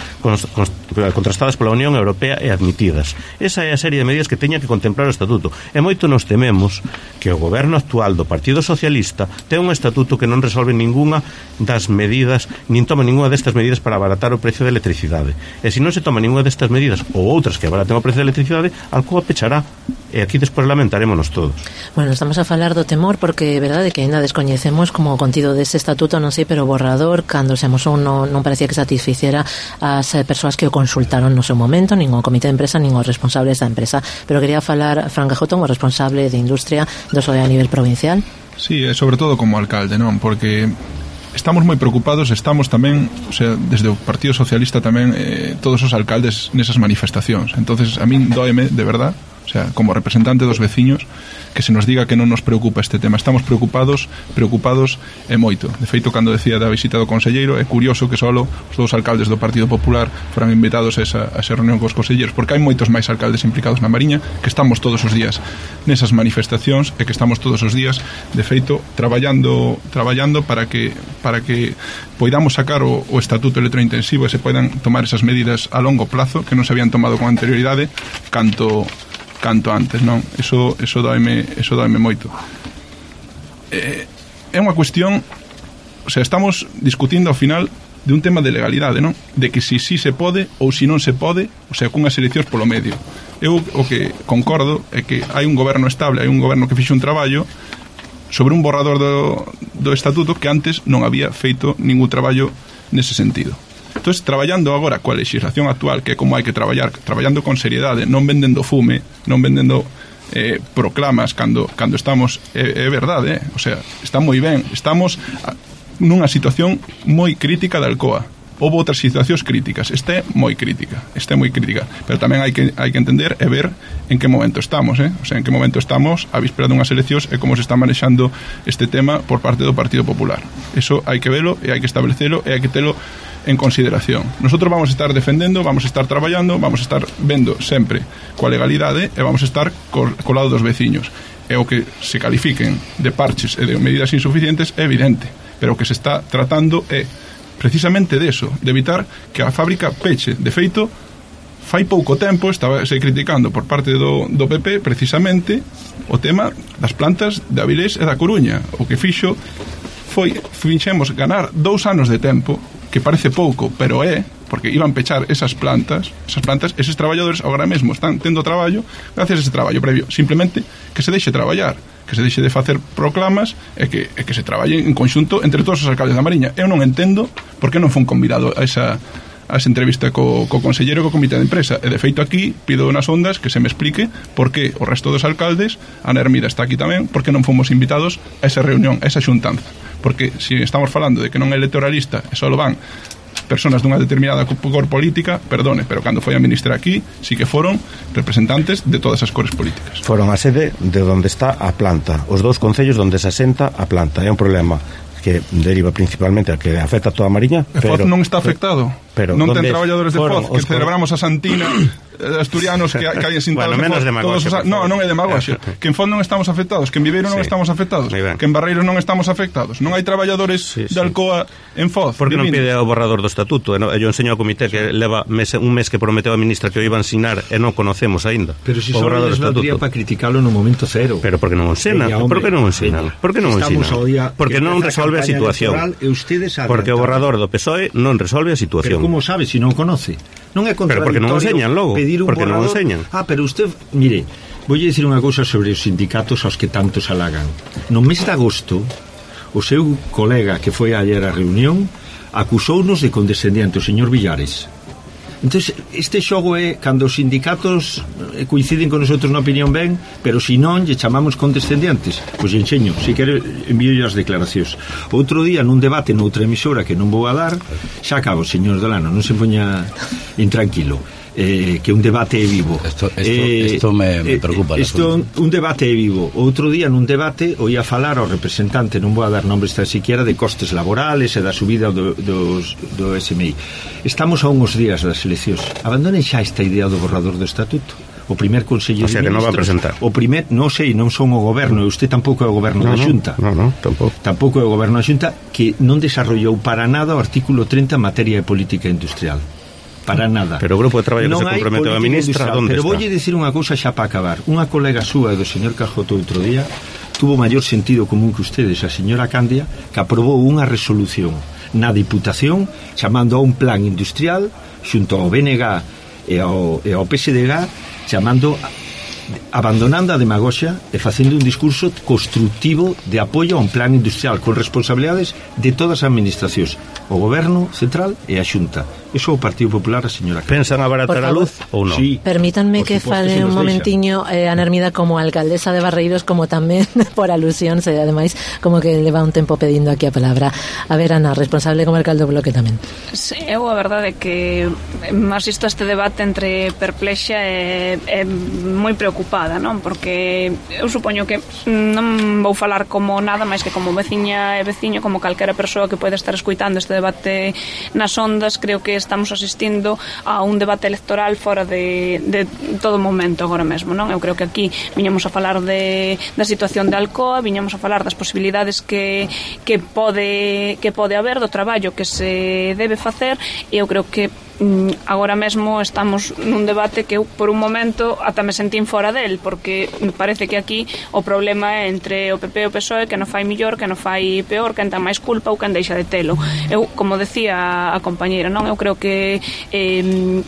pola Unión Europea e admitidas. Esa é a serie de medidas que teña que contemplar o Estatuto. E moito nos tememos que o goberno actual do Partido Socialista ten un estatuto que non resolve ninguna das medidas, nin toma ninguna destas medidas para abaratar o precio da electricidade. E se non se toma ninguna destas medidas ou outras que abaraten o precio da electricidade, Alcoa pechará. E aquí despois lamentarémonos todos. Bueno, estamos a falar do temor porque é verdade que ainda descoñecemos como o contido deste estatuto, non sei, pero o borrador, cando se amosou, non parecía que satisficera as persoas que o consultaron no seu momento, nin o comité de empresa, nin os responsables da empresa. Pero quería falar Fran Gajóton, o responsable de industria do SOE a nivel provincial. Sí, sobre todo como alcalde, non? Porque estamos moi preocupados, estamos tamén, o sea, desde o Partido Socialista tamén, todos os alcaldes nesas manifestacións. Entonces, a min dóeme, de verdad, o sea, como representante dos veciños, que se nos diga que non nos preocupa este tema. Estamos preocupados e moito. De feito, cando decía da visita do conselleiro, é curioso que só os dous alcaldes do Partido Popular foran invitados a esa reunión cos conselleiros, porque hai moitos máis alcaldes implicados na Mariña, que estamos todos os días nesas manifestacións e que estamos todos os días, de feito, traballando para que poidamos sacar o estatuto electrointensivo e se poidan tomar esas medidas a longo plazo que non se habían tomado con anterioridade canto antes, non? Eso doime moito. É unha cuestión, o sea, estamos discutindo ao final de un tema de legalidade, non? De que si se pode ou si non se pode, o sea, cunhas eleccións polo medio. Eu o que concordo é que hai un goberno estable, hai un goberno que fixe un traballo sobre un borrador do estatuto que antes non había feito ningún traballo nese sentido. Entón, traballando agora coa legislación actual, que é como hai que traballar, traballando con seriedade, non vendendo fume, non vendendo proclamas cando estamos, é verdade, o sea, está moi ben, estamos nunha situación moi crítica da Alcoa. Houve outras situacións críticas, esta é moi crítica, pero tamén hai que entender e ver en que momento estamos, o sea, en que momento estamos a víspera dunhas eleccións e como se está manexando este tema por parte do Partido Popular. Eso hai que velo e hai que establecelo e hai que telo en consideración. Nosotros vamos a estar defendendo, vamos a estar traballando, vamos a estar vendo sempre coa legalidade e vamos a estar co lado dos veciños. E o que se califiquen de parches e de medidas insuficientes é evidente, pero o que se está tratando é precisamente de eso, de evitar que a fábrica peche. De feito, fai pouco tempo estaba se criticando por parte do PP precisamente o tema das plantas de Avilés e da Coruña. O que fixemos ganar 2 anos de tempo, que parece pouco, pero é, porque iban pechar esas plantas, eses traballadores agora mesmo están tendo traballo gracias a ese traballo previo. Simplemente que se deixe traballar, que se deixe de facer proclamas e que se traballe en conxunto entre todos os alcaldes da Mariña. Eu non entendo por que non fun convidado a esa entrevista co conselleiro e co comité de empresa. E de feito aquí pido nas ondas que se me explique por que o resto dos alcaldes, Ana Hermida está aquí tamén, por que non fomos invitados a esa reunión, a esa xuntanza. Porque se estamos falando de que non é electoralista e só van personas dunha determinada cor política, perdone, pero cando foi a ministra aquí, sí que foron representantes de todas as cores políticas. Foron a sede de onde está a planta, os dous concellos onde se asenta a planta. É un problema que deriva principalmente a que afecta a toda a Mariña. Foz non está afectado. Pero non ten traballadores de Foz, que celebramos a Santina, asturianos que hai sentados. Bueno, menos demagoxia. Non é demagoxia. Que en Foz non estamos afectados, que en Viveiro non estamos afectados, que en Barreiros non estamos afectados. Non hai traballadores de Alcoa en Foz. Por que non pide o borrador do estatuto? Eu enseño ao comité que leva un mes que prometeu a ministra que o iba a ensinar e non conocemos aínda. Pero se só les valdría para criticalo no momento cero. Pero porque non o ensinan? Por que non o ensinan? Porque non resolve a situación. Porque o borrador do PSOE non resolve a situación. Pero como sabe se non conoce? Non é contradictorio. Pero porque non o enseñan logo. Porque non o enseñan. Pero usted, mire, voulle dicir unha cousa sobre os sindicatos aos que tanto se halagan. No mes de agosto, o seu colega que foi ayer á reunión acusounos de condescendiente, o señor Villares. Entonces, este xogo é cando os sindicatos coinciden con nosotros na opinión ben, pero se non lle chamamos condescendientes. Pois enxeño, se quere envío as declaracións. Outro día nun debate noutra emisora que non vou a dar, xa acabo, señor Delano, non se poña intranquilo. Que un debate é vivo. Esto me preocupa. Un debate é vivo. Outro día nun debate oía falar ao representante, non vou a dar nombres tan siquiera, de costes laborales e da subida do SMI. Estamos a uns días das eleccións. Abandonen xa esta idea do borrador do estatuto. O primer Consello de Ministros, que non va a presentar. O primer, non sei, non son o goberno, e usted tampouco é o goberno da Xunta. Non, tampouco. Tampouco é o goberno da Xunta, que non desarrollou para nada o artículo 30 en materia de política industrial. Para nada. Pero o grupo de traballo que se comprometeu a ministra, onde pero está? Pero voulle dicir unha cousa xa para acabar. Unha colega súa do señor Cajoto outro día tuvo maior sentido común que ustedes, a señora Candia, que aprobou unha resolución na Diputación chamando a un plan industrial xunto ao BNG e ao PSDG, chamando, abandonando a demagoxia e facendo un discurso constructivo de apoio a un plan industrial con responsabilidades de todas as administracións, o goberno central e a Xunta. Eso o Partido Popular, a señora Candia. Pensan abaratar a luz ou non? Sí. Permítanme que fale un momentiño Ana Hermida como alcaldesa de Barreiros, como tamén por alusión, e ademais como que leva un tempo pedindo aquí a palabra. A ver, Ana, responsable comarcal do Bloque tamén. Sí, eu a verdade é que asisto a este debate entre perplexa e moi preocupada, non? Porque eu supoño que non vou falar como nada máis que como veciña e veciño, como calquera persoa que pode estar escuitando este debate nas ondas. Creo que estamos asistindo a un debate electoral fora de todo momento agora mesmo, non? Eu creo que aquí viñamos a falar da situación de Alcoa, viñamos a falar das posibilidades que pode haber, do traballo que se debe facer, e eu creo que agora mesmo estamos nun debate que eu por un momento ata me sentín fora del, porque me parece que aquí o problema é entre o PP e o PSOE, que non fai millor, que non fai peor, quen ten máis culpa ou quen deixa de telo. Eu, como decía a compañeira, non, eu creo que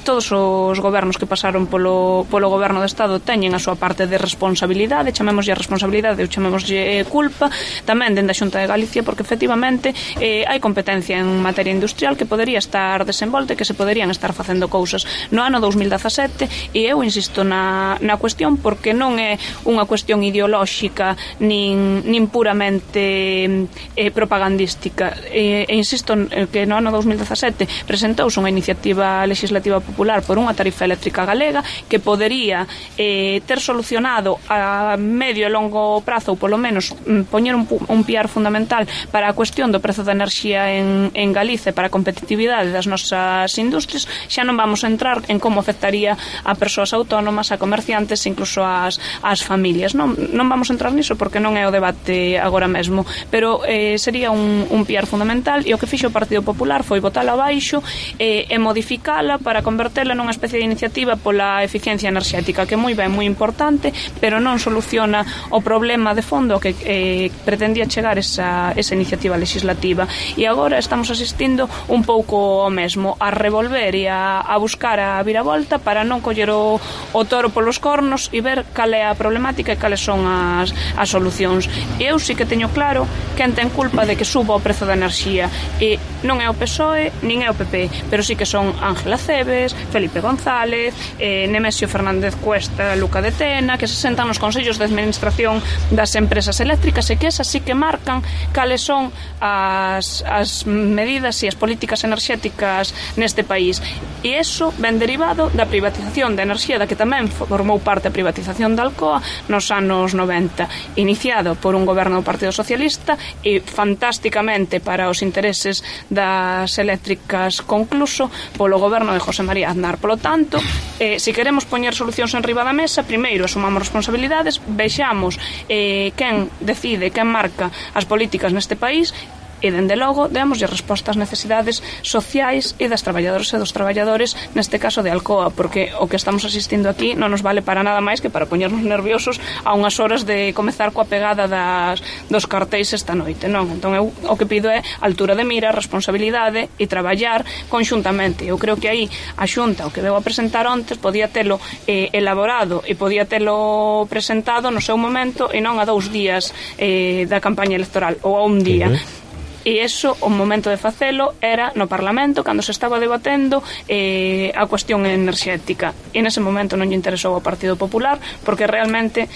todos os gobernos que pasaron polo goberno do Estado teñen a súa parte de responsabilidade, chamémoslle responsabilidade ou chamémoslle culpa, tamén dende a Xunta de Galicia, porque efectivamente hai competencia en materia industrial que podería estar desenvolta e que se podería estar facendo cousas no ano 2017, e eu insisto na cuestión, porque non é unha cuestión ideolóxica nin puramente propagandística, e insisto que no ano 2017 presentouse unha iniciativa legislativa popular por unha tarifa eléctrica galega que podería ter solucionado a medio e longo prazo, ou polo menos poñer un piar fundamental para a cuestión do prezo da enerxía en Galicia, para a competitividade das nosas industrias. Xa non vamos a entrar en como afectaría a persoas autónomas, a comerciantes, incluso as familias. Non vamos a entrar niso porque non é o debate agora mesmo, pero sería un piar fundamental, e o que fixo o Partido Popular foi botala abaixo e modificala para convertela nunha especie de iniciativa pola eficiencia enerxética, que é moi ben, moi importante, pero non soluciona o problema de fondo que pretendía chegar esa iniciativa legislativa. E agora estamos asistindo un pouco ao mesmo, a revolver e a buscar a viravolta para non coller o toro polos cornos e ver cal é a problemática e cales son as solucións. Eu sí que teño claro quen ten culpa de que suba o prezo da enerxía, e non é o PSOE nin é o PP, pero sí que son Ángela Cebes, Felipe González, Nemesio Fernández Cuesta, Luca de Tena, que se sentan nos consellos de administración das empresas eléctricas, e que esas sí que marcan cales son as medidas e as políticas enerxéticas neste país. E iso ven derivado da privatización da enerxía, da que tamén formou parte a privatización da Alcoa nos anos 90, iniciado por un goberno do Partido Socialista e fantásticamente para os intereses das eléctricas concluso polo goberno de José María Aznar. Polo tanto, se queremos poñer solucións en riba da mesa, primeiro asumamos responsabilidades, vexamos quen decide, quen marca as políticas neste país, e, dende logo, démoslle resposta ás necesidades sociais e das traballadoras e dos traballadores, neste caso de Alcoa, porque o que estamos asistindo aquí non nos vale para nada máis que para poñernos nerviosos a unhas horas de comezar coa pegada dos cartéis esta noite, non? Entón, eu o que pido é altura de mira, responsabilidade e traballar conxuntamente. Eu creo que aí a Xunta, o que veu a presentar ontes, podía telo elaborado e podía telo presentado no seu momento e non a 2 días da campaña electoral, ou a un día. e iso, o momento de facelo era no Parlamento, cando se estaba debatendo a cuestión enerxética, e nese momento non lle interesou ao Partido Popular, porque realmente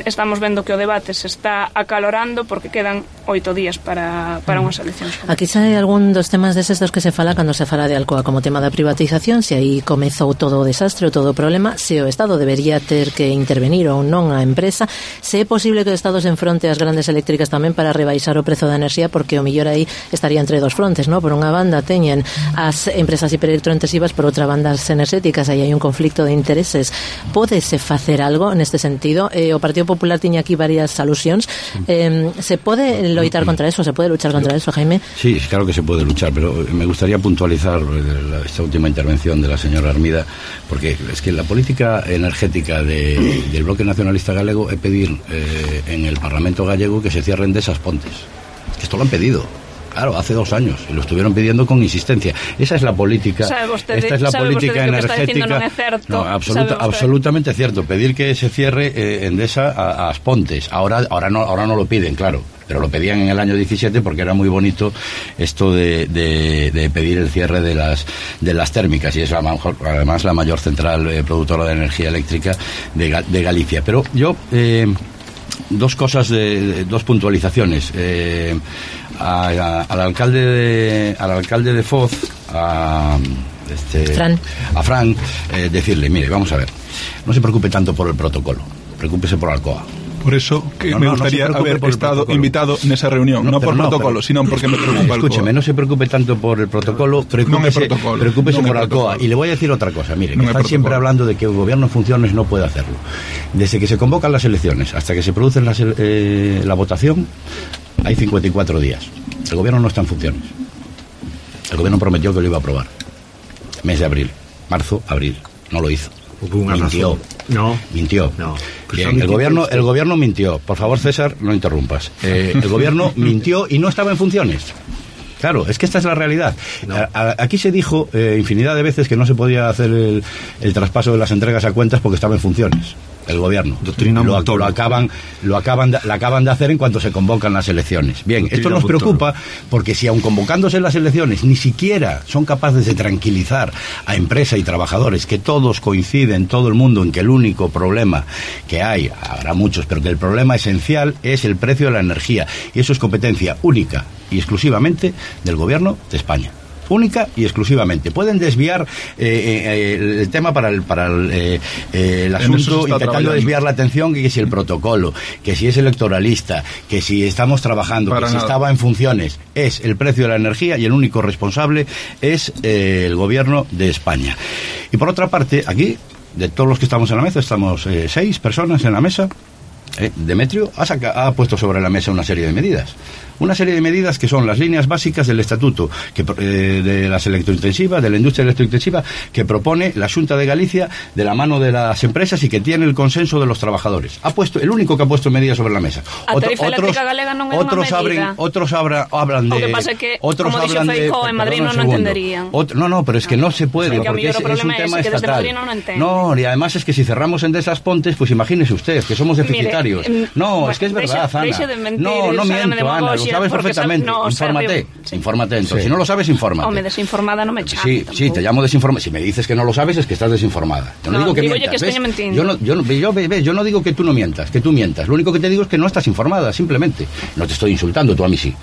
estamos vendo que o debate se está acalorando porque quedan 8 días para unhas eleccións. Aquí sae algún dos temas deses dos que se fala cando se fala de Alcoa, como tema da privatización, se aí comezou todo o desastre, todo o problema, se o Estado debería ter que intervenir ou non a empresa, se é posible que o Estado se enfronte ás grandes eléctricas tamén para rebaixar o prezo da enerxía, porque o millor aí estaría entre dos frontes, ¿no? Por unha banda teñen as empresas hiperelectrointensivas, por outra banda as enerxéticas, aí hai un conflicto de intereses. Pódese facer algo neste sentido? O Partido Popular tiña aquí varias alusións. Se pode loitar contra eso? ¿Se puede luchar contra eso, Jaime? Sí, claro que se puede luchar, pero me gustaría puntualizar esta última intervención de la señora Armida, porque es que la política energética del Bloque Nacionalista Galego é pedir en el Parlamento gallego que se cierren de esas pontes. Esto lo han pedido. Claro, hace 2 años, y lo estuvieron pidiendo con insistencia. Esa es la política, esta es la política energética. No, absolutamente cierto. Pedir que se cierre Endesa a Aspontes. Ahora no lo piden, claro, pero lo pedían en el año 17 porque era muy bonito esto de pedir el cierre de las térmicas, y es además la mayor central productora de energía eléctrica de Galicia. Pero yo dos puntualizaciones. Al alcalde de Foz, a Fran, decirle, mire, vamos a ver, no se preocupe tanto por el protocolo, preocúpese por Alcoa. Por eso que me gustaría haber estado invitado nesa reunión, no por protocolo, sino porque me preocupa Alcoa. Escúcheme, no se preocupe tanto por el protocolo, preocúpese por Alcoa. Y le voy a decir otra cosa, mire, que están siempre hablando de que el gobierno en funciones no puede hacerlo. Desde que se convocan las elecciones hasta que se produce la votación, hay 54 días. El gobierno no está en funciones. El gobierno prometió que lo iba a aprobar. Mes de abril, marzo, abril. No lo hizo. Mintió. Mintió. No. Bien, el gobierno mintió. Por favor, César, no interrumpas. El gobierno mintió y no estaba en funciones. Claro, es que esta es la realidad. No. Aquí se dijo infinidad de veces que no se podía hacer el traspaso de las entregas a cuentas porque estaba en funciones. El gobierno lo acaban de hacer en cuanto se convocan las elecciones. Bien, esto nos preocupa porque si aun convocándose las elecciones ni siquiera son capaces de tranquilizar a empresa y trabajadores, que todos coinciden, todo el mundo, en que el único problema que hay, habrá muchos, pero que el problema esencial es el precio de la energía, y eso es competencia única y exclusivamente del gobierno de España. Única y exclusivamente. Pueden desviar el tema para el asunto, intentando desviar la atención, que si el protocolo, que si es electoralista, que si estamos trabajando, para que nada. Si estaba en funciones. Es el precio de la energía y el único responsable es el gobierno de España. Y por otra parte, aquí, de todos los que estamos en la mesa, estamos 6 personas en la mesa. Demetrio ha puesto sobre la mesa una serie de medidas. Una serie de medidas que son las líneas básicas del estatuto de las electrointensivas, de la industria electrointensiva, que propone la Xunta de Galicia de la mano de las empresas y que tiene el consenso de los trabajadores. El único que ha puesto medidas sobre la mesa. A tarifa eléctrica galega non é unha medida. Otros hablan de... O que pasa é que, como dixo Feijóo, en Madrid non entenderían. No, pero es que no se puede, porque es un tema estatal. No, y además es que si cerramos Endesa Pontes, pues imagínese usted, que somos deficitarios. No, es que es verdad, Ana. No miento, Ana. Lo sabes perfectamente. Infórmate entonces. Si no lo sabes, infórmate. O me desinformada no me echas. Sí, te llamo desinformada. Si me dices que no lo sabes, es que estás desinformada. Yo no digo que mientas. Que estoy mintiendo. Yo no digo que tú no mientas, que tú mientas. Lo único que te digo es que no estás informada, simplemente. No te estoy insultando, tú a mí sí.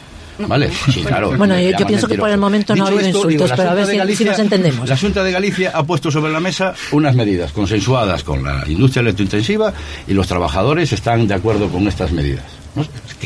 ¿Vale? Sí, claro. Bueno, yo pienso que por el momento no ha habido insultos, pero a ver si nos entendemos. La Xunta de Galicia ha puesto sobre la mesa unas medidas consensuadas con la industria electrointensiva, y los trabajadores están de acuerdo con estas medidas.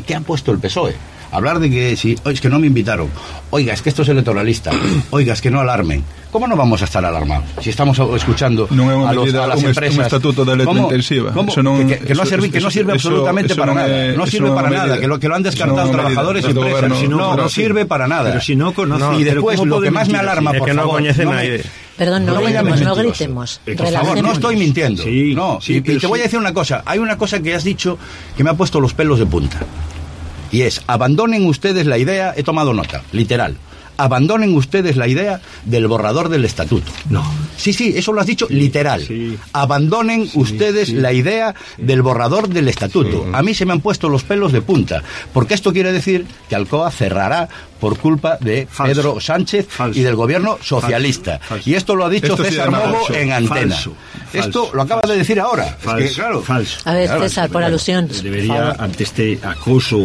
¿Qué ha puesto el PSOE? Hablar de que es que no me invitaron, oiga, es que esto es electoralista, oiga, es que no alarmen. ¿Cómo no vamos a estar alarmados si estamos escuchando a las empresas? Un estatuto de electrointensiva. Que no sirve absolutamente para nada. No sirve para nada, que lo han descartado trabajadores y empresas. No sirve para nada. Pero si no conocen. Y después, lo que más me alarma, por favor, perdón, no gritemos. Por favor, no estoy mintiendo. Y te voy a decir una cosa. Hay una cosa que has dicho que me ha puesto los pelos de punta. Y es, abandonen ustedes la idea, he tomado nota, literal, abandonen ustedes la idea del borrador del estatuto. No. Sí, eso lo has dicho literal. Sí. Abandonen ustedes la idea del borrador del estatuto. A mí se me han puesto los pelos de punta, porque esto quiere decir que Alcoa cerrará por culpa de Pedro Sánchez y del gobierno socialista. Falso. Y esto lo ha dicho César Mogo en antena. Falso. Esto lo acaba de decir ahora. Falso. Es que, claro, falso. A ver, César, por alusión. Debería, ante este acoso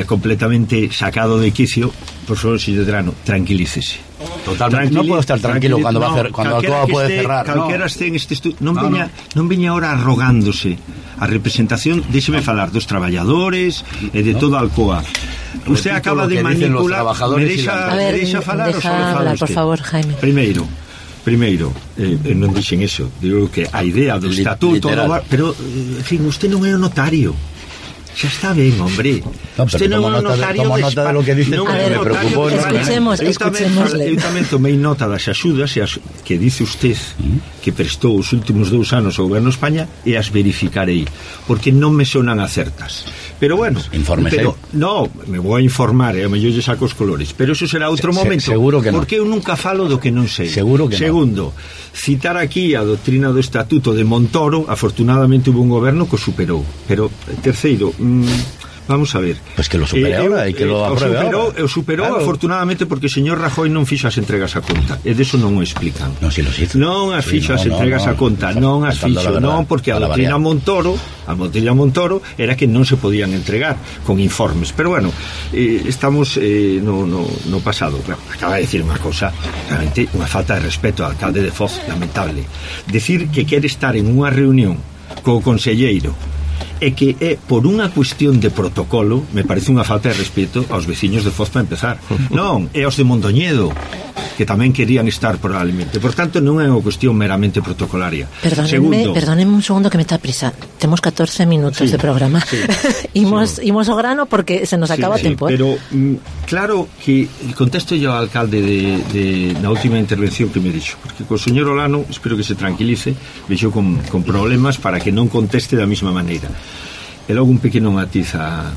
completamente sacado de quicio, por favor, señor Drano, tranquilícese. Totalmente. No puedo estar tranquilo cuando va a hacer, cuando Alcoa puede cerrar. Calquera este en este estudio. Non veña ahora arrogándose a representación, déxeme falar dos traballadores e de toda Alcoa. Usted acaba de manipular. Me deixa falar ou só fala por favor, Jaime. Primeiro, non dixen eso. Digo que a idea do estatuto, pero, en fin, usted non é o notario. Xa está ben, hombre. No, usted non é o notario nota de lo que dice, me preocupó. Escuchémosle. Eu tamén tomei nota das axudas que dice usted que prestou os últimos 2 anos ao goberno de España e as verificarei, porque non me sonan acertas. Pero bueno, no, me vou a informar, a mellor lle saco os colores, pero eso será outro momento. Seguro que porque eu nunca falo do que non sei. Seguro que Segundo, citar aquí a doctrina do estatuto de Montoro, afortunadamente hubo un goberno que o superou. Pero terceiro, vamos a ver. Pues que lo supere ahora e que lo apruebe ahora. O superou, claro. Afortunadamente, porque o señor Rajoy non fixo as entregas a conta. E deso non o explican. Non, si lo hizo. Non as fixo as entregas a conta. Non as fixo. Non, porque a doctrina Montoro era que non se podían entregar con informes. Pero bueno, estamos no pasado. Bueno, acaba de decir unha cosa, realmente unha falta de respeto ao alcalde de Foz, lamentable. Decir que quere estar en unha reunión co conselleiro e que é por unha cuestión de protocolo, me parece unha falta de respeto aos veciños de Foz para empezar. Non, é aos de Mondoñedo, que tamén querían estar probablemente. Por tanto, non é unha cuestión meramente protocolaria. Perdónenme un segundo que me está prisa. Temos 14 minutos de programa. Imos ao grano porque se nos acaba o tempo. Pero claro que contesto yo ao alcalde na última intervención que me dixo, porque co señor Olano espero que se tranquilice, vexo con problemas para que non conteste da mesma maneira. E logo un pequeno matiz a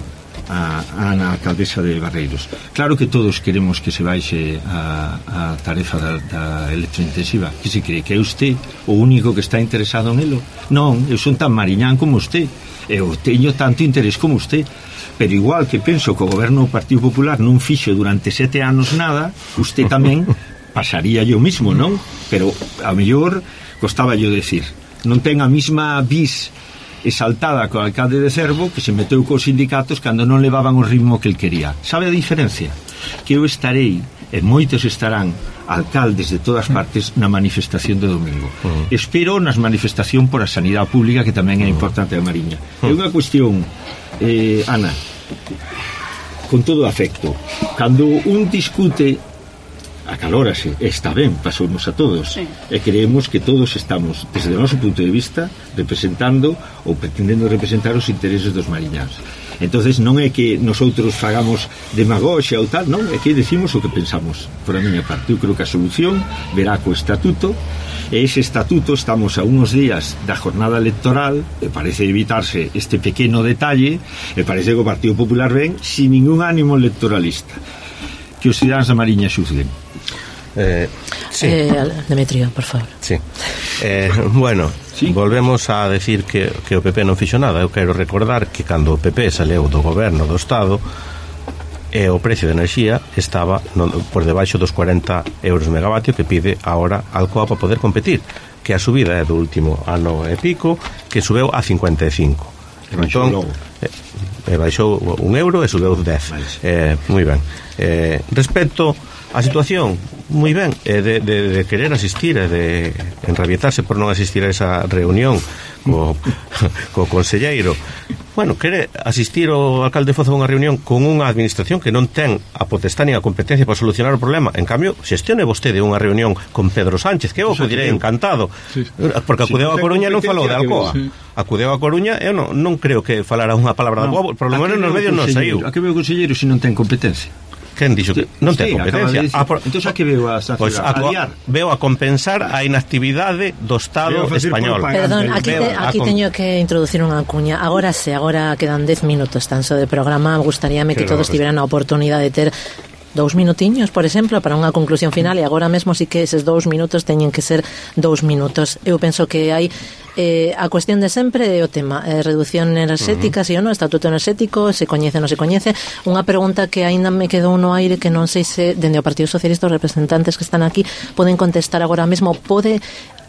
Ana, alcaldesa de Barreiros. Claro que todos queremos que se baixe a tarefa da electrointensiva. Que se cree que é usted o único que está interesado nelo? Non, eu son tan mariñán como usted, eu teño tanto interés como usted, pero igual que penso que o goberno do Partido Popular non fixo durante 7 anos nada, usted tamén pasaría yo mismo, non? Pero a mellor costaba yo decir, non ten a mesma vis exaltada co alcalde de Cervo, que se meteu cos sindicatos cando non levaban o ritmo que el quería. Sabe a diferencia? Que eu estarei, e moitos estarán, alcaldes de todas partes, na manifestación de domingo. Espero nas manifestación por a sanidade pública, que tamén é importante a Mariña. É unha cuestión, Ana, con todo afecto, cando un discute, acalórase, está ben, pasounos a todos, e creemos que todos estamos, desde o noso punto de vista, representando ou pretendendo representar os intereses dos mariñanos. Entonces non é que nosotros fagamos demagoxia ou tal, non, é que decimos o que pensamos. Por a miña parte, eu creo que a solución verá co estatuto, e ese estatuto estamos a unos días da jornada electoral, e parece evitarse este pequeno detalle, e parece que o Partido Popular ven sin ningún ánimo electoralista. Que os cidadáns da Mariña xuzguen. Sí. Demetrio, por favor. Sí. Bueno, volvemos a decir que o PP non fixo nada. Eu quero recordar que cando o PP saleu do goberno do Estado, o precio de enerxía estaba por debaixo dos 40 euros megavatio que pide ahora Alcoa para poder competir, que a subida é do último ano e pico, que subeu a 55. Entón, baixou €1 e subeu 10. Moi ben. Respecto a situación, moi ben, de querer asistir e de enrabietarse por non asistir a esa reunión co conselleiro. Bueno, quere asistir o alcalde Foz a unha reunión con unha administración que non ten a potestade nin a competencia para solucionar o problema. En cambio, xestione vostede unha reunión con Pedro Sánchez, que eu acudirei encantado, porque acudeu a Coruña e non falou de Alcoa. Acudeu a Coruña e eu non creo que falara unha palabra de Alcoa, por lo menos nos medios non saiu. A que veo o conselleiro se non ten competencia? Quen dixo que non ten competencia? Entón a que veo a veo a compensar a inactividade do Estado español. Perdón, aquí teño que introducir unha cuña. Agora quedan 10 minutos tan só de programa. Gustaríame que todos tiveran a oportunidade de ter 2 minutiños, por exemplo, para unha conclusión final, e agora mesmo sí que eses 2 minutos teñen que ser 2 minutos. Eu penso que hai a cuestión de sempre é o tema reducción enerxética, si ou non, estatuto enerxético, se coñece ou non se coñece. Unha pregunta que aínda me quedou no aire, que non sei se dende o Partido Socialista os representantes que están aquí poden contestar agora mesmo. Pode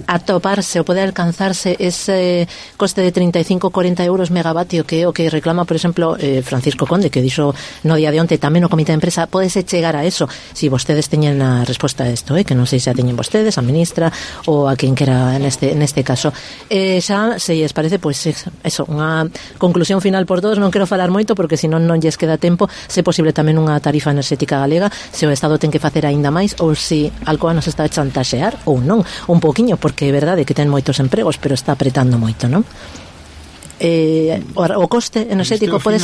atoparse ou pode alcanzarse ese coste de 35-40 euros megavatio que é o que reclama, por exemplo, Francisco Conde, que dixo no día de onte tamén no comité de empresa? Podese chegar a eso? Si vostedes teñen a resposta a isto, que non sei se a teñen vostedes, a ministra ou a quen quera neste caso. Xa, se lles parece, pois eso, unha conclusión final por todos. Non quero falar moito porque senón non lles queda tempo. Se posible tamén unha tarifa enerxética galega, se o Estado ten que facer aínda máis ou se Alcoa nos está a chantaxear ou non, un poquinho, porque é verdade que ten moitos empregos, pero está apretando moito, non? O coste enerxético pode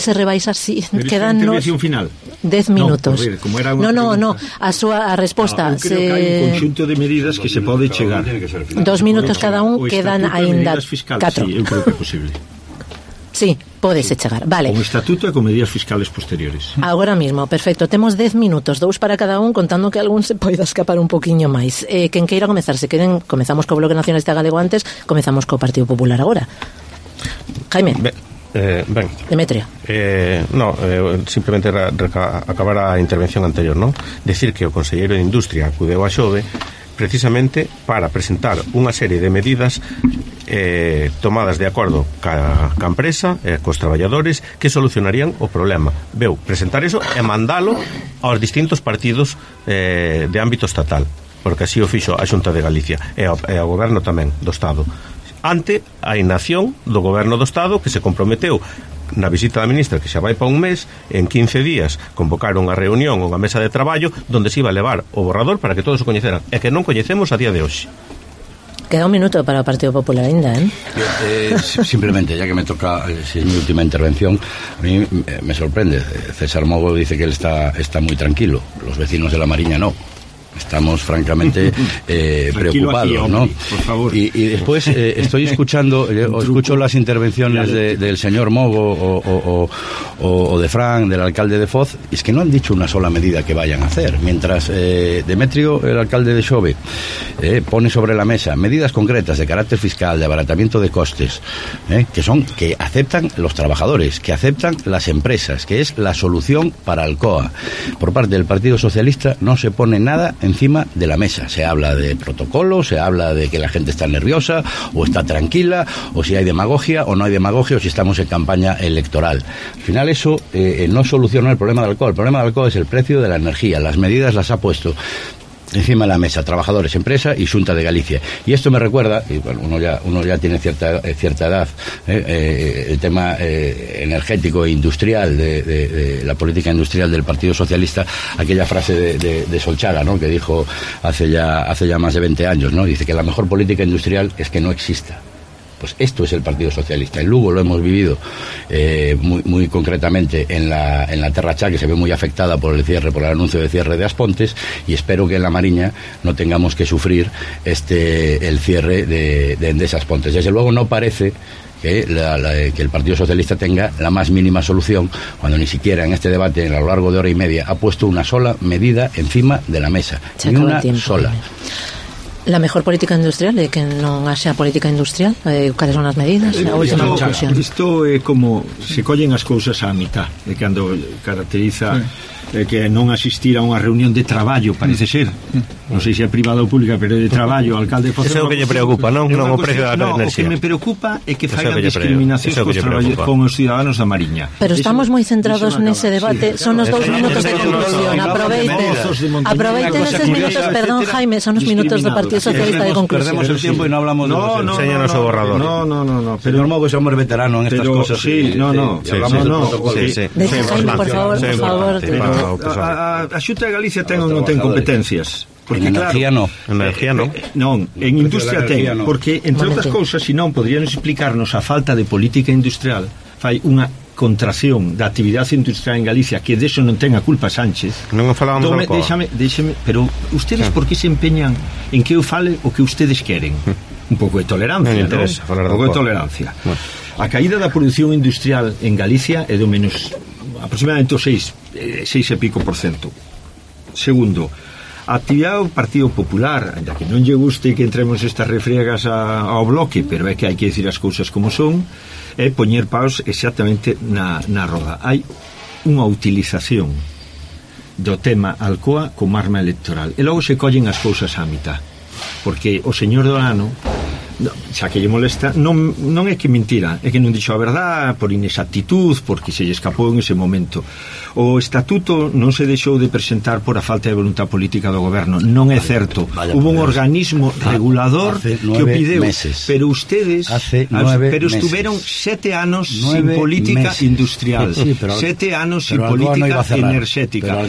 ser rebaixar si quedan final 10 minutos. No, a resposta eu creo que hai un conxunto de medidas que se pode chegar. 2 minutos cada un, quedan aínda 4. Sí, eu creo que é posible. Sí, pódese chegar, vale. Con estatuto e con medidas fiscales posteriores. Agora mismo, perfecto, temos 10 minutos, 2 para cada un, contando que algún se poida escapar un poquinho máis. Quen queira comezar, se queren, comezamos co Bloque Nacionalista Galego antes, comezamos co Partido Popular agora. Jaime. Ben. Demetrio. Simplemente acabar a intervención anterior, non? Decir que o conselleiro de Industria acudeu a Xove precisamente para presentar unha serie de medidas tomadas de acordo ca empresa e cos traballadores que solucionarían o problema. Veu presentar eso e mandalo aos distintos partidos de ámbito estatal, porque así o fixo a Xunta de Galicia e ao goberno tamén do Estado, ante a inacción do goberno do Estado, que se comprometeu na visita da ministra, que xa vai para un mes, en 15 días convocaron unha reunión, unha mesa de traballo onde se iba a levar o borrador para que todos o coñeceran, e que non coñecemos a día de hoxe. Queda un minuto para o Partido Popular ainda, Simplemente, ya que me toca, si es mi última intervención, a mí me sorprende. César Mogo dice que él está muy tranquilo, los vecinos de La Mariña no. Estamos francamente preocupados, ¿no? Por favor. Y después estoy escucho las intervenciones del señor Mogo o de Fran, del alcalde de Foz, y es que no han dicho una sola medida que vayan a hacer. Mientras Demetrio, el alcalde de Xove, pone sobre la mesa medidas concretas de carácter fiscal, de abaratamiento de costes, que aceptan los trabajadores, que aceptan las empresas, que es la solución para Alcoa. Por parte del Partido Socialista no se pone nada encima de la mesa. Se habla de protocolo, se habla de que la gente está nerviosa o está tranquila, o si hay demagogia o no hay demagogia, o si estamos en campaña electoral. Al final eso no soluciona el problema del alcohol. El problema del alcohol es el precio de la energía. Las medidas las ha puesto encima de la mesa trabajadores, empresa y Xunta de Galicia. Y esto me recuerda, y bueno, uno ya tiene cierta edad, el tema energético e industrial de la política industrial del Partido Socialista, aquella frase de Solchaga, ¿no?, que dijo hace ya más de 20 años, ¿no? Dice que la mejor política industrial es que no exista. Pues esto es el Partido Socialista. En Lugo lo hemos vivido muy concretamente en la Terra Cha, que se ve muy afectada por el anuncio de cierre de Aspontes, y espero que en La Mariña no tengamos que sufrir el cierre de Endesa Aspontes. Desde luego no parece que el Partido Socialista tenga la más mínima solución, cuando ni siquiera en este debate, a lo largo de hora y media, ha puesto una sola medida encima de la mesa. Ni una sola. La mejor política industrial é que non haxa política industrial. Cales son as medidas? A última conclusión. Isto é como se collen as cousas á mitad, de cando caracteriza que non asistir a unha reunión de traballo, parece ser, non sei se é privada ou pública, pero de traballo, o alcalde Eso é o que lle preocupa, non o precio da enerxía. O que me preocupa é que faigan discriminacións con os ciudadanos da Mariña. Pero estamos moi centrados nese debate. Son os 2 minutos de conclusión. Aproveiten eses minutos, perdón, Jaime, son os minutos do Partido Socialista de conclusión. Perdemos el tiempo y no hablamos de los enséñanos o borrador. No. Señor Mogo, ese hombre veterano en estas cosas. Hablamos del protocolo. Jaime, por favor. A Xunta de Galicia ten ou non ten competencias? Porque en energía claro, no. Non, en industria ten, porque entre outras cousas, se non poderíamos explicarnos a falta de política industrial, fai unha contracción da actividade industrial en Galicia, que deso non ten a culpa Sánchez. Non falábamos do Alcoa. Déxame, pero ustedes por que se empeñan en que eu fale o que ustedes queren? Un pouco de tolerancia, non? Un pouco de tolerancia. A caída da produción industrial en Galicia é do menos aproximadamente o 6 e pico por cento. Segundo, a actividade do Partido Popular, ainda que non lle guste que entremos estas refriegas ao bloque, pero é que hai que decir as cousas como son, é poñer paus exactamente na roda. Hai unha utilización do tema Alcoa como arma electoral, e logo se collen as cousas á mitad, porque o señor Olano, xa que lle molesta, non é que mentira, é que non dixo a verdad por inexactitud, porque se lle escapou en ese momento. O estatuto non se deixou de presentar por a falta de voluntad política do goberno, non é certo. Hubo un organismo regulador que o pideu, pero ustedes estuveron 7 anos sin política industrial, 7 anos sin política enerxética.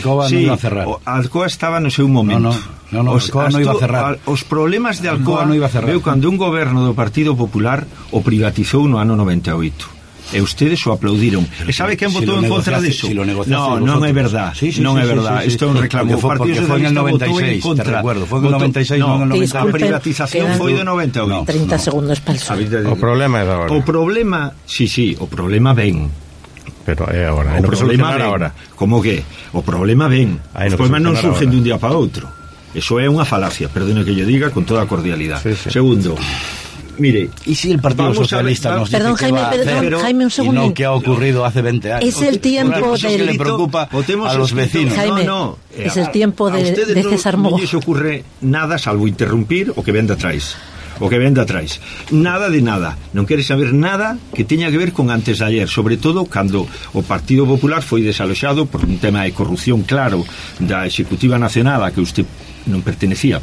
Alcoa estaba no seu momento. Alcoa non iba a cerrar. Os problemas de Alcoa veu cando un goberno do Partido Popular o privatizou no ano 98. E ustedes o aplaudiron. E sabe quen votou en contra disso? Non é verdad. Non é verdad. Isto é un reclamo. O Partido Socialista votou en contra. Foi en 96, non en 98. A privatización foi de 98. 30 segundos para el O problema é de agora. O problema, o problema ven. Pero é agora. O problema ven. Como que? O problema ven. Os problemas non surgen de un día para outro. Eso é unha falacia, perdone que lle diga con toda a cordialidade. Segundo, mire, ¿y si el Partido Socialista nos dice que va a hacer Jaime, un y no que ha ocurrido hace 20 años? Es el tiempo que le preocupa a los vecinos. Jaime, es el tiempo de César Mogo. Non lles ocurre nada salvo interrumpir o que ven de atrás. Nada de nada. Non quere saber nada que teña que ver con antes de ayer, sobre todo cando o Partido Popular foi desaloxado por un tema de corrupción claro da Executiva Nacional a que usted non pertenece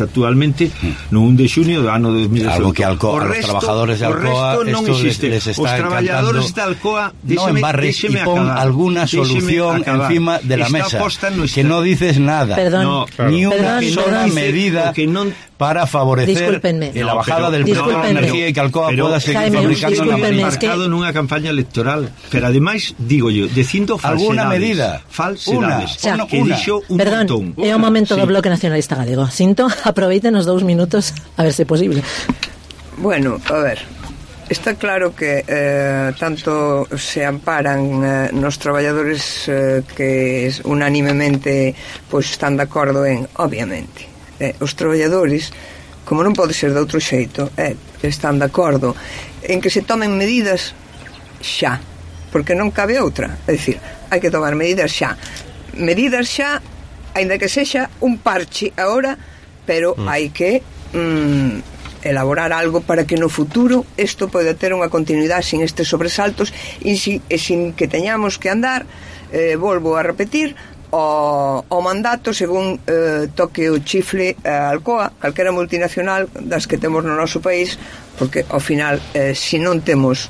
actualmente no 1 de xunio do ano 2018. Algo que a los trabajadores de Alcoa non existe. Les está os traballadores de Alcoa, no embarres y pon alguna solución encima de la mesa, que no dices nada. Perdón, ni una sola medida para favorecer la bajada del precio de la energía y que Alcoa pueda seguir fabricando la medida. Marcado nunha campaña electoral, pero ademais, digo yo, dicindo falsedades. Alguna medida. Falsedades. Que dixo un montón. É o momento do Bloque Nacionalista Galego. Sinto, aproveiten os 2 minutos a ver se é posible. Bueno, a ver, está claro que tanto se amparan nos traballadores que unánimemente pois están de acordo en, obviamente, os traballadores, como non pode ser de outro xeito, están de acordo en que se tomen medidas xa, porque non cabe outra. É dicir, hai que tomar medidas xa, aínda que sexa un parche agora, pero hai que elaborar algo para que no futuro isto poida ter unha continuidade sin estes sobresaltos e sin que teñamos que andar, volvo a repetir, o mandato según toque o chifle a Alcoa, calquera multinacional das que temos no noso país, porque ao final se non temos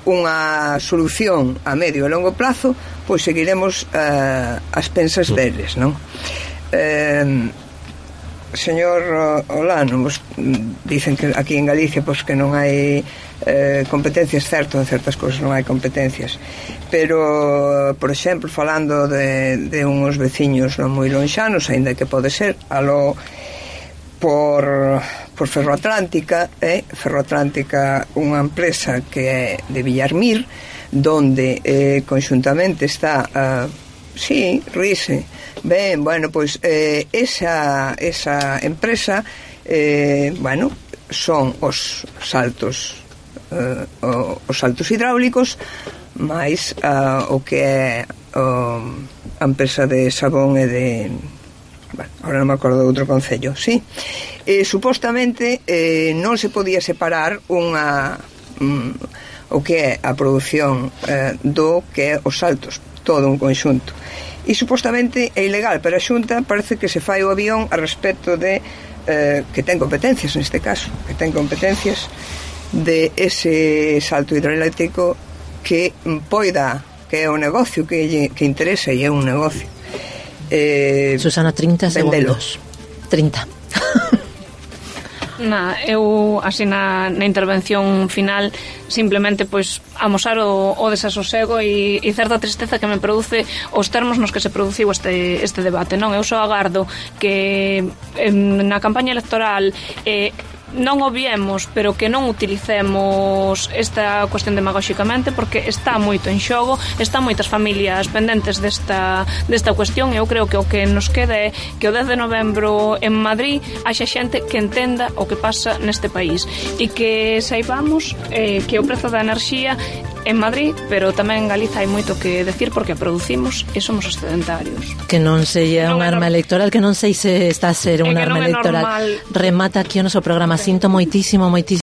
unha solución a medio e longo plazo, pois seguiremos as pensas deles, non? Señor Olano, dicen que aquí en Galicia pois que non hai competencias, certo, en certas cousas non hai competencias, pero por exemplo, falando de uns veciños non moi lonxanos, aínda que pode ser aló por Ferroatlántica, unha empresa que é de Villarmir, donde conxuntamente está Rise. Ben, bueno, pois esa empresa, bueno, son os saltos hidráulicos máis o que é a empresa de Sabón e de... Bueno, ahora non me acordo de outro concello, sí. Supostamente non se podía separar o que é a produción do que é os saltos, todo un conxunto. E supostamente é ilegal, pero a Xunta parece que se fai o avión a respecto de que ten competencias neste caso, que ten competencias de ese salto hidroeléctrico que poida, que é un negocio que interesa e é un negocio. Susana, 30 segundos. 30. Eu así na intervención final simplemente pois amosar o desasosego e certa tristeza que me produce os termos nos que se produciu este debate, non? Eu só agardo que na campaña electoral non obviemos, pero que non utilicemos esta cuestión demagóxicamente, porque está moito en xogo, está moitas familias pendentes desta cuestión, e eu creo que o que nos queda é que o 10 de novembro en Madrid haxa xente que entenda o que pasa neste país e que saibamos que o prezo da enerxía en Madrid, pero tamén en Galiza hai moito que decir porque a producimos e somos excedentarios. Que non sería un arma electoral, que non sei se está a ser un arma electoral. Remata aquí o noso programa. Sinto moitísimo